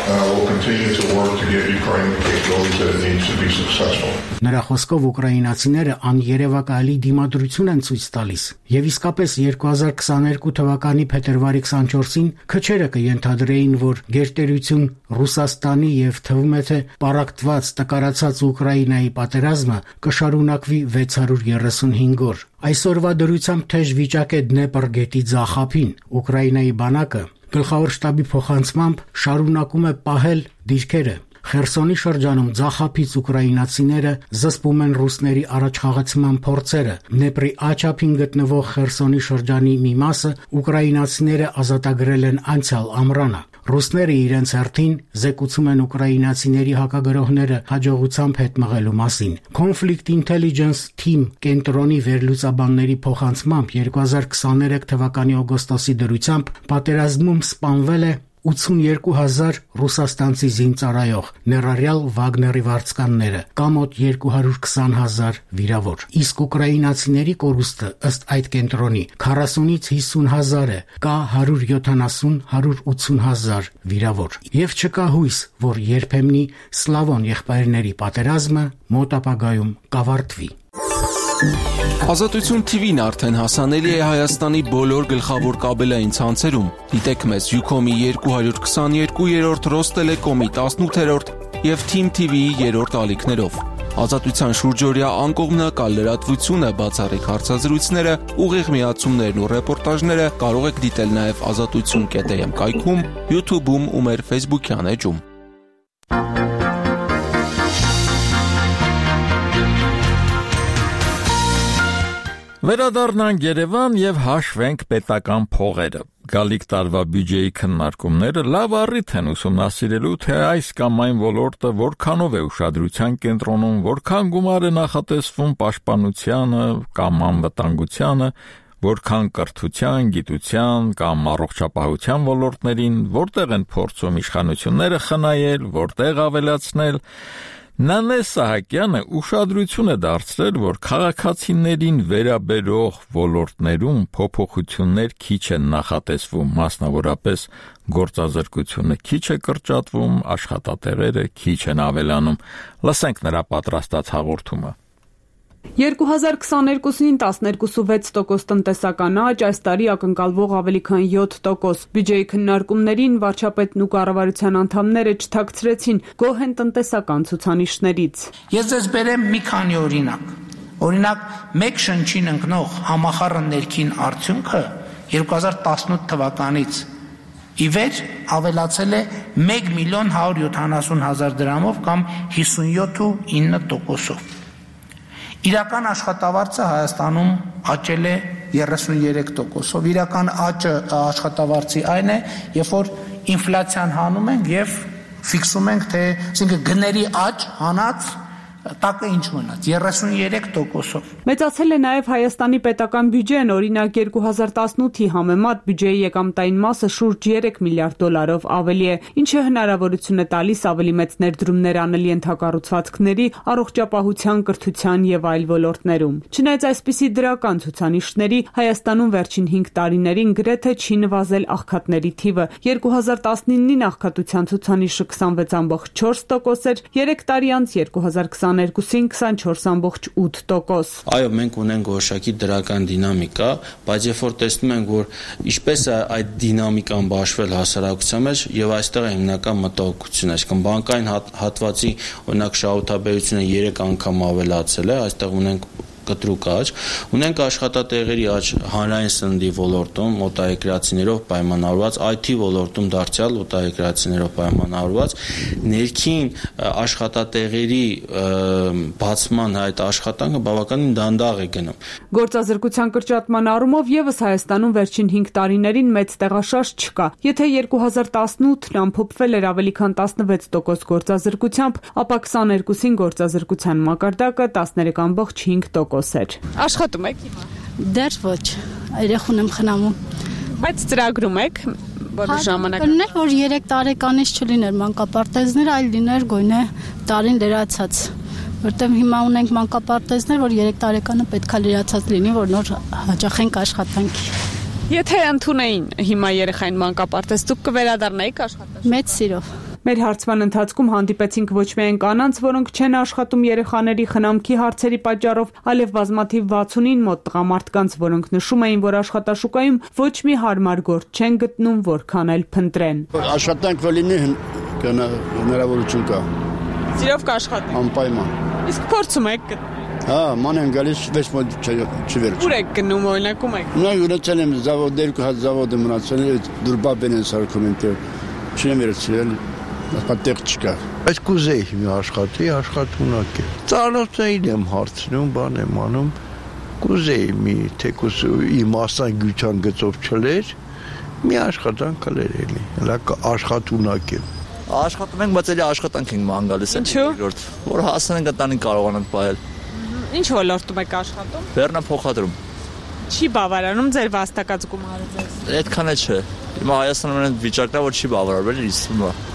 Will continue to work to give Ukraine the capabilities that it needs to be successful. Նրա խոսքով ուկրաինացիները աներևակայելի դիմադրություն են ցույց տալիս եւ իսկապես 2022 թվականի փետրվարի 24-ին քչերը կենթադրեին, որ գերտերություն Ռուսաստանի եւ թվում է թե պարակտված տկարացած Ուկրաինայի պատերազմը կշարունակվի 635 օր։ Այսօրվա դրությամբ թեժ վիճակ է Դնեպր գետի ձախապին։ Ուկրաինայի բանակը գլխավոր շտաբի փոխանցմամբ շարունակում է պահել դիրքերը։ Խերսոնի շրջանում ձախապից ուկրաինացիները զսպում են ռուսների առաջխաղացման փորձերը։ Դնեպրի աչափին գտնվող Խերսոնի շրջանի մի մասը ուկրաինացիները ազատագրել են անցյալ ամռանը։ Ռուսները իրենց հերթին զեկուցում են ուկրաինացիների հակագրողները հաջողությամբ հետ մղելու մասին։ Conflict Intelligence Team կենտրոնի վերլուծաբանների փոխանցմամբ 2023 թվականի օգոստոսի դրությամբ պատերազմում սպանվել է 82,000 ռուսաստանցի զինծառայող, ներառյալ Վագների վարձկանները, կա մոտ 220,000 վիրավոր։ Իսկ ուկրաինացիների կորուստը ըստ այդ կենտրոնի 40-ից 50,000 է, կա 170-180,000 վիրավոր։ Եվ չկա հույս, որ երբեմնի Սլավոն եղբայրների պատերազմը մոտ ապագայում կավարտվի։ Ազատություն TV-ն արդեն հասանելի է Հայաստանի բոլոր գլխավոր կաբելային ցանցերում։ Դիտեք մեզ Ucom-ի 222-րդ, Ռոստելեկոմի 18-րդ եւ Team TV-ի 3-րդ ալիքներով։ Ազատության շուրջօրյա անկողմնակալ լրատվությունը, բացառիկ հարցազրույցները, ուղիղ միացումներն ու ռեպորտաժները կարող եք դիտել նաեւ azatutsun.am կայքում, YouTube-ում ու մեր Facebook-յան էջում։ Վերադառնանք Երևան եւ հաշվենք պետական փողերը։ Գալիք տարվա բյուջեի քննարկումները լավ առիթ են ուսումնասիրելու, թե այս կամ այն ոլորտը որքանով է ուշադրության կենտրոնում, որքան գումար է նախատեսվում պաշտպանությանը կամ անվտանգությանը, որքան կրթության, գիտության կամ առողջապահության ոլորտներին, որտեղ են փորձում իշխանությունները խնայել, որտեղ ավելացնել։ Նանե Սահակյանը ուշադրություն է դարձրել, որ քաղաքացիներին վերաբերող ոլորտներում փոփոխություններ քիչ են նախատեսվում, մասնավորապես գործազրկությունը քիչ է կրճատվում, աշխատատեղերը քիչ են ավելանում։ Լսենք նրա պատրաստած հաղորդումը։ 2022-ին 12.6% տնտեսական աճ, այս տարի ակնկալվող ավելի քան 7%։ Բյուջեի քննարկումներին վարչապետն ու կառավարության անդամները չթաքցրեցին գոհ են տնտեսական ցուցանիշներից։ Ես ձեզ բերեմ մի քանի օրինակ։ Օրինակ, մեկ շնչին ընկնող համախառն ներքին արդյունքը 2018 թվականից ի վեր ավելացել է 1.170.000 դրամով կամ 57.9%-ով։ Իրական աշխատավարձը Հայաստանում աճել է 33%-ով։ Իրական աճը աշխատավարձի այն է, երբ որ ինֆլյացիան հանում ենք եւ ֆիքսում ենք, թե այսինքն գների աճ հանած տակը ինչ մնաց 33%-ով։ Մեծացել է նաև Հայաստանի պետական բյուջեն, օրինակ 2018-ի համեմատ բյուջեի եկամտային մասը շուրջ 3 միլիարդ դոլարով ավելի է, ինչը հնարավորություն է տալիս ավելի մեծ ներդրումներ անել ենթակառուցվածքների, առողջապահության, կրթության եւ այլ ոլորտներում։ Չնայած այսպիսի դրական ցուցանիշների, Հայաստանում վերջին 5 տարիներին գրեթե չի նվազել աղքատների թիվը։ 2019-ին աղքատության ցուցանիշը 26.4% էր, 3 տարի անց 2022-ին 24.8%։ Այո, մենք ունենք որոշակի դրական դինամիկա, բայց երբ որ տեսնում ենք, որ ինչպես է այդ դինամիկան բաշխվել հասարակության մեջ, եւ այստեղ է հիմնական մտահոգությունը, այսինքն բանկային հատվածի օրինակ շահութաբերությունը 3 անգամ ավելացել է, այստեղ ունենք կտրուկ աճ, ունենք աշխատատեղերի աճ հանրային սննդի ոլորտում օտարերկրացիներով պայմանավորված, IT ոլորտում դարձյալ օտարերկրացիներով պայմանավորված, ներքին աշխատատեղերի բացման այդ աշխատանքը բավականին դանդաղ է գնում։ Գործազրկության կրճատման առումով եւս Հայաստանում վերջին 5 տարիներին մեծ տեղաշարժ չկա։ Եթե 2018-ն ամփոփվել էր ավելի քան 16% գործազրկությամբ, ապա 22-ին գործազրկության մակարդակը 13.5% էր։ Աշխատում եք հիմա։ Դեռ ոչ, երեխուն եմ խնամում։ Բայց ծրագրում եք որոշ ժամանակ։ Կլիներ, որ 3 տարեկանից չլիներ մանկապարտեզներ, այլ լիներ գույնը տարին լրացած։ Որտեղ հիմա ունենք մանկապարտեզներ, որ 3 տարեկանը պետքա լրացած լինի, որ նոր հաճախենք աշխատանքի։ Եթե ընդունեին հիմա երեխային մանկապարտեզ, դուք կվերադառնայիք աշխատանք։ Մեծ սիրով։ Մեր հարցման ընթացքում հանդիպեցինք ոչ միայն կանանց, որոնք չեն աշխատում երեխաների խնամքի հարցերի պատճառով, այլև բազմաթիվ 60-ին մոտ տղամարդկանց, որոնք նշում էին, որ աշխատաշուկայում ոչ մի հարմար գործ չեն գտնում, որքան էլ փնտրեն։ Աշխատանք լինի հնարավորություն կա։ Սիրով կաշխատեք։ Անպայման։ Իսկ փորձում եք գտնել։ Հա, ման են գալիս, ոչ ոք չվերջ։ Ուր եք գնում, օրինակ ում եք։ Նա յուրացել եմ զավոդեր, զավոդը մնացել է, դուրբաբեն են սարքում են, չեն վերցրել։ Պատեղ չկա։ Բայց կուզեի մի աշխատունակ է։ Ծանոթային եմ հարցնում, բան եմ անում, կուզեի մի թեկուս իմ մասնագիտության գծով չլեր, մի աշխատանք կլեր էլի, աշխատունակ է։ Աշխատում ենք, բայց էլի աշխատանք ենք ման գալիս։ Ինչու՞։ Որ հասնենք ընտանիք կարողանանք պահել։ Ինչ ոլորտում եք աշխատում։ Բեռնափոխադրում։ Չի բավարարում ձեր վաստակած գումարը ձեզ։ Այդքան է չէ։ Հիմա Հայաստանում այն վիճակն է, որ չի բավարարվել, իսկ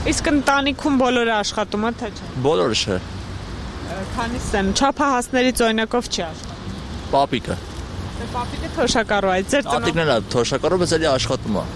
Իսկ ընտանիքում բոլորը աշխատում են, թե չէ։ Բոլորը չէ։ Քանիսն են, չափահասներից օրինակով չի աշխատում։ Պապիկը։ Դե պապիկը թոշակառու է, ձեր ծնողներն էլ թոշակառու, բայց էլի աշխատում է։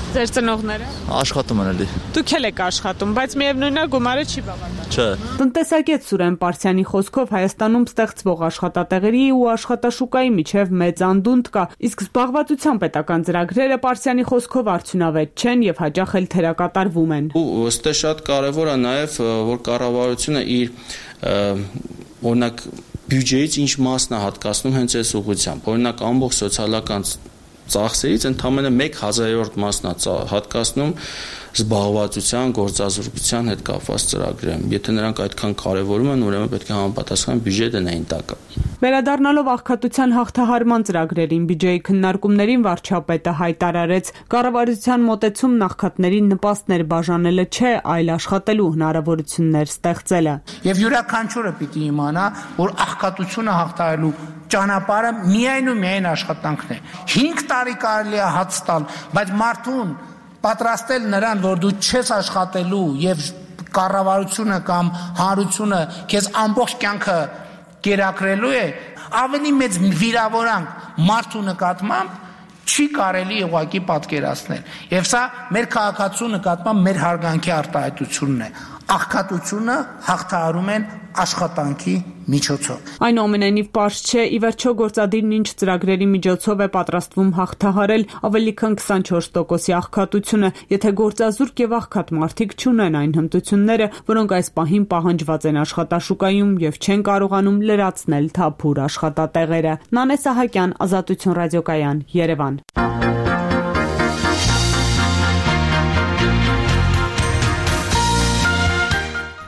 Ձեր ծնողները աշխատում են էլի։ Դուք էլ եք աշխատում, բայց միևնույնն է գումարը չի բավարարում։ Չէ։ Տնտեսագետ Սուրեն Պարսյանի խոսքով Հայաստանում ստեղծվող աշխատատեղերի ու աշխատաշուկայի միջև մեծ անդունդ կա, իսկ զբաղվածության պետական ծրագրերը Պարսյանի խոսքով արդյունավետ չեն եւ հաճախ էլ թերակատարվում են։ Ու ըստ շատ կարեւոր է նաեւ, որ կառավարությունը իր օրինակ բյուջեից ինչ մասն է հատկացնում հենց այս ուղղությամբ։ Օրինակ ամբողջ սոցիալական ծախսերից ընդամենը 1/1000-րդ մասն է հատկացնում զբաղվածության, գործազրկության հետ կապված ծրագրերին։ Եթե նրանք այդքան կարևորում են, ուրեմն պետք է համապատասխան բյուջե դնեին տակը։ Վերադառնալով աղքատության հաղթահարման ծրագրերին բյուջեի քննարկումներին վարչապետը հայտարարեց, կառավարության մոտեցումն աղքատներին նպաստներ բաժանելը չէ, այլ աշխատելու հնարավորություններ ստեղծելը։ Եվ յուրաքանչյուրը պիտի իմանա, որ աղքատությունը հաղթահարելու ճանապարհը միայն ու միայն աշխատանքն է։ 5 տարի կարելի է հաց տալ, բայց մարդուն պատրաստել նրան, որ դու չես աշխատելու եւ կառավարությունը կամ հանրությունը քեզ ամբողջ կյանքը կերակրելու է, ավելի մեծ վիրավորանք մարդու նկատմամբ չի կարելի ուղղակի պատկերացնել։ Եվ սա մեր քաղաքացու նկատմամբ մեր հարգանքի արտահայտությունն է։ Աղքատությունը հաղթահարում են աշխատանքի միջոցով։ Այնուամենայնիվ պարզ չէ, ի վերջո գործադիրն ինչ ծրագրերի միջոցով է պատրաստվում հաղթահարել ավելի քան 24%-ի աղքատությունը, եթե գործազուրկ եւ աղքատ մարդիկ չունեն այն հմտությունները, որոնք այս պահին պահանջված են աշխատաշուկայում եւ չեն կարողանում լրացնել թափուր աշխատատեղերը։ Նանե Սահակյան, Ազատություն ռադիոկայան, Երևան։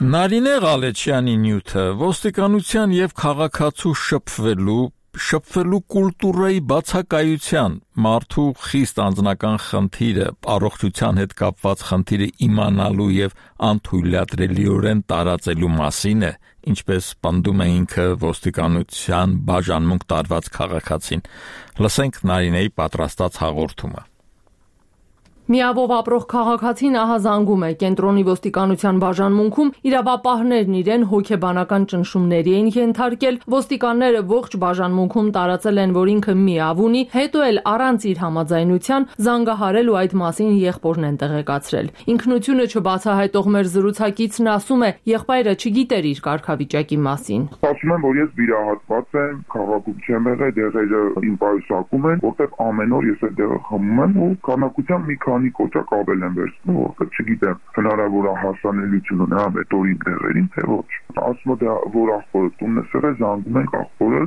Նարինե Ղալեչյանի նյութը ոստիկանության եւ քաղաքացու շփվելու շփվելու կուլտուրայի բացակայության, մարդու խիստ անձնական խնդիրը, առողջության հետ կապված խնդիրը իմանալու եւ անթույլատրելիորեն տարածելու մասին է, ինչպես պնդում է ինքը ոստիկանության բաժանմունք տարված քաղաքացին։ Լսենք Նարինեի պատրաստած հաղորդումը։ Միավով ապրող քաղաքացին ահազանգում է կենտրոնի ոստիկանության բաժանմունքում իրավապահներն իրեն հոգեբանական ճնշումների են ենթարկել, ոստիկանները ողջ բաժանմունքում տարածել են, որ ինքը միավ ունի, հետո էլ առանց իր համաձայնության զանգահարել ու այդ մասին եղբորն են տեղեկացրել։ Ինքնությունը չբացահայտող մեր զրուցակիցն ասում է, եղբայրը չգիտեր իր կարգավիճակի մասին։ Ասում եմ, որ ես վիրահատված եմ, քաղաքում չեմ եղել, դեղերը իմ պայուսակում են, որտեղ ամեն օր ես այդ դեղը խմում եմ ու քանակությամբ մի քանի կոճակ ավել եմ վերցնում, որտեղ չգիտեմ հնարավոր է հասանելիություն ունենա մետորին դեղերին, թե ոչ։ Ասում է, որ աղբորը տունն է սեղել, զանգում ենք աղբորը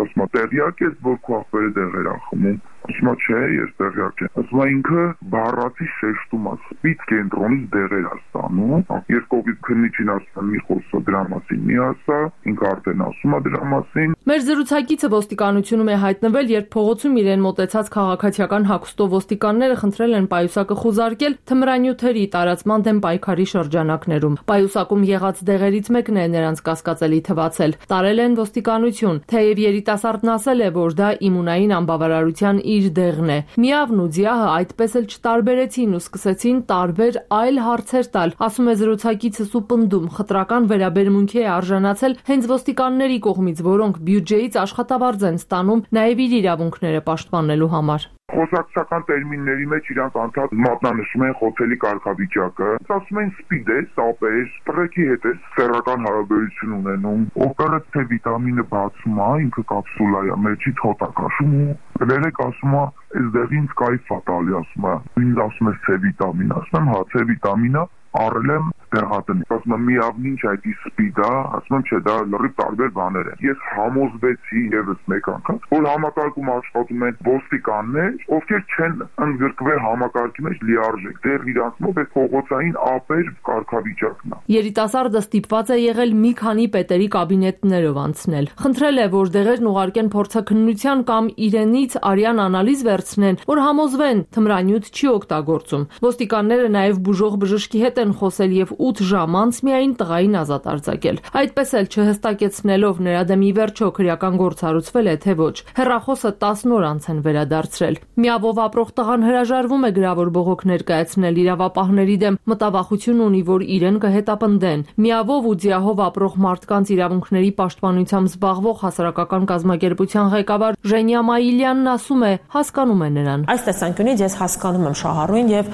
ասում է, տեղյակ ես, որ քո աղբերը դեղեր ա խմում։ Ասում է, չէ, ես տեղյակ չեմ։ Ասում է, ինքը բառացի շեշտում է, սպից կենտրոնից դեղեր է ստանում։ Երկողից քննիչին ասում է, մի խոսա դրա մասին, մի ասա, ինքը արդեն ասում է դրա մասին։ Մեր զրուցակիցը ոստիկանությունում է հայտնվել, երբ փողոցում իրեն մոտեցած քաղաքացիական հագուստով ոստիկանները խնդրել են պայուսակը խուզարկել թմրանյութերի տարածման դեմ պայքարի շրջանակներում։ Պայուսակում եղած դեղերից մեկն է նրանց կասկածելի թվացել։ Տարել են ոստիկանություն, թեև երիտասարդն ասել է, որ դա իմունային անբավարարության իր դեղն է։ Միավն ու ձիահը այդպես էլ չտարբերեցին ու սկսեցին տարբեր այլ հարցեր տալ, ասում է զրուցակիցս ու պնդում, խտրական վերաբերմունքի է արժանացել հենց ոստիկանների կողմից, որոնք բյուջեից աշխատավարձ են ստանում նաև իր իրավունքները պաշտպանելու համար։ Խոսակցական տերմինների մեջ իրանք անդադ մատնանշում են խոցելի կարգավիճակը, ասում են սպիդ է, սապեր, պրեկի հետ է սեռական հարաբերություն ունենում, օպերը թե վիտամինը բացում է, ինքը կապսուլա է, մեջի թոտ է քաշում ու գրերեք ասում է, այս դեղին կայֆ է տալի, ասում է, ինձ ասում է C վիտամին, ասում եմ, հա, C վիտամինը առել եմ տեղատնի, ասում եմ, միավն ինչ այդ սպիդ է, ասում եմ, չէ, դա լրիվ տարբեր բաներ են։ Ես համոզվեցի ևս մեկ անգամ, որ համակարգում աշխատում են ոստիկաններ, ովքեր չեն ընդգրկվել համակարգի մեջ լիարժեք, դեռ իրանք մոտ այդ փողոցային ապեր կարգավիճակն է։ Երիտասարդը ստիպված է եղել մի քանի պետերի կաբինետներով անցնել։ Խնդրել է, որ դեղերն ուղարկեն փորձաքննության կամ իրենից արյան անալիզ վերցնեն, որ համոզվեն թմրանյութ չի օգտագործում։ Ոստիկանները նաև բուժող բժշկի հետ են խոսել եւ 8 ժամ անց միայն տղային ազատ արձակել։ Այդպես էլ չհստակեցնելով նրա դեմ ի վերջո քրեական գործ հարուցվել է թե ոչ։ Հեռախոսը 10 օր անց են վերադարձրել։ Միավով ապրող տղան հրաժարվում է գրավոր բողոք ներկայացնել իրավապահների դեմ, մտավախություն ունի, որ իրեն կհետապնդեն։ Միավով ու ձիահով ապրող մարդկանց իրավունքների պաշտպանությամբ զբաղվող հասարակական կազմակերպության ղեկավար Ժենյա Մայիլյանն ասում է, հասկանում է նրան։ Այս տեսանկյունից ես հասկանում եմ Շահառուին եւ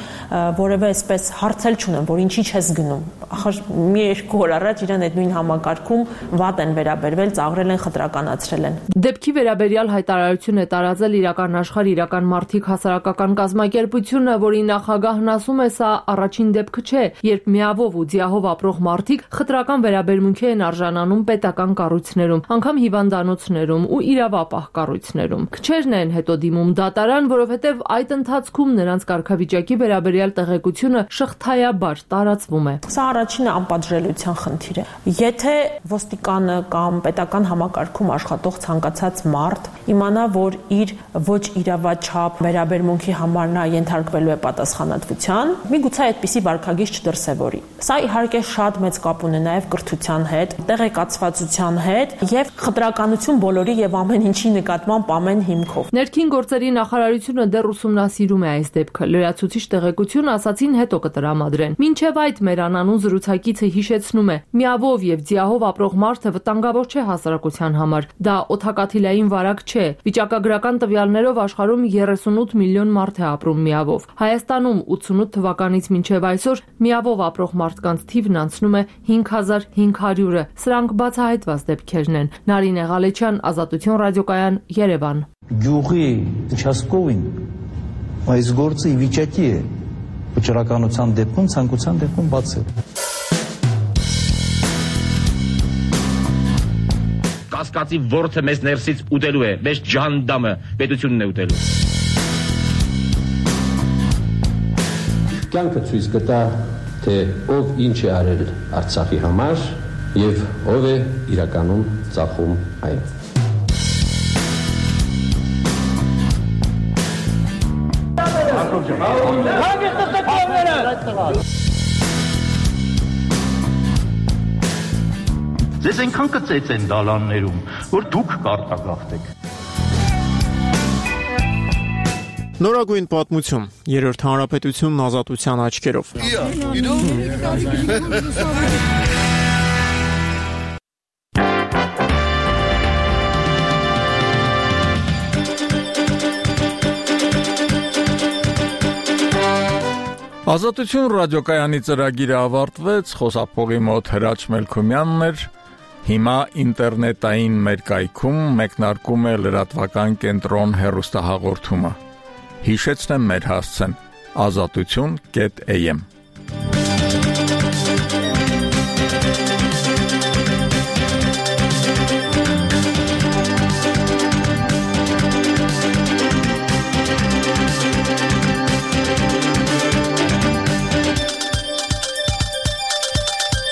որևէ այսպես հարցել չունեմ, որ ինչի չես գնում։ Ախր մի երկու օր առաջ իրեն այդ նույն համակարգում վատ են վերաբերվել, ծաղրել են, խտրականացրել են։ Դեպքի վերաբերյալ հայտարարություն է տարածել Իրական աշխարհ իրական մարդիկ հասարակական կազմակերպությունը, որի նախագահն ասում է, սա առաջին դեպքը չէ, երբ միավով ու ձիահով ապրող մարդիկ խտրական վերաբերմունքի են արժանանում պետական կառույցներում, անգամ հիվանդանոցներում ու իրավապահ կառույցներում։ Քչերն են հետո դիմում դատարան, որովհետև այդ ընթացքում նրանց կարգավիճակի վերաբերյալ տեղեկությունը շղթայաբար տարածվում է։ Սա առաջինը անպատժելիության խնդիր է։ Եթե ոստիկանը կամ պետական համակարգում աշխատող ցանկացած մարդ իմանա, որ իր ոչ իրավաչափ վերաբերմունքի համար նա ենթարկվելու է պատասխանատվության, միգուցե այդպիսի վարքագիծ չդրսևորի։ Սա իհարկե շատ մեծ կապ ունի նաև կրթության հետ, տեղեկացվածության հետ եւ խտրականություն բոլորի եւ ամեն ինչի նկատմամբ ամեն հիմքով։ Ներքին գործերի նախարարությունը դեռ ուսումնասիրում է այս դեպքը։ Լրացուցիչ տեղեկություն ասացին հետո կտրամադրեն։ Մինչև այդ մեր անանուն զրուցակիցը հիշեցնում է, միավով եւ ձիահով ապրող մարդը վտանգավոր չէ հասարակության համար։ Դա օդակաթիլային վարակ չէ։ Վիճակագրական տվյալներով աշխարհում 38 միլիոն մարդ է ապրում միավով։ Հայաստանում 88 թվականից մինչև այսօր միավով ապրող մարդկանց թիվն անցնում է 5500-ը։ Սրանք բացահայտված դեպքերն են։ Նարինե Ղալեչյան, Ազատություն ռադիոկայան, Երևան։ Գյուղի участковին այս գործը ի վիճակի է վճռականության դեպքում, ցանկության դեպքում բացել։ Կասկածի ворթը մեզ ներսից ուտելու է, մեզ ջանդամը պետությունն է ուտելու։ Կյանքը ցույց կտա, թե ով ինչ է արել Արցախի համար եւ ով է իրականում ծախում այն։ Ձեզ այնքան կծեց են դալաններում, որ դուք կարտագաղթեք։ Նորագույն պատմություն, երրորդ հանրապետությունն ազատության աչքերով։ Ազատություն ռադիոկայանի ծրագիրը ավարտվեց, խոսափողի մոտ Հրաչ Մելքումյանն էր, հիմա ինտերնետային մեր կայքում մեկնարկում է լրատվական կենտրոն հեռուստահաղորդումը։ Հիշեցնեմ մեր հասցեն՝ azatutun.am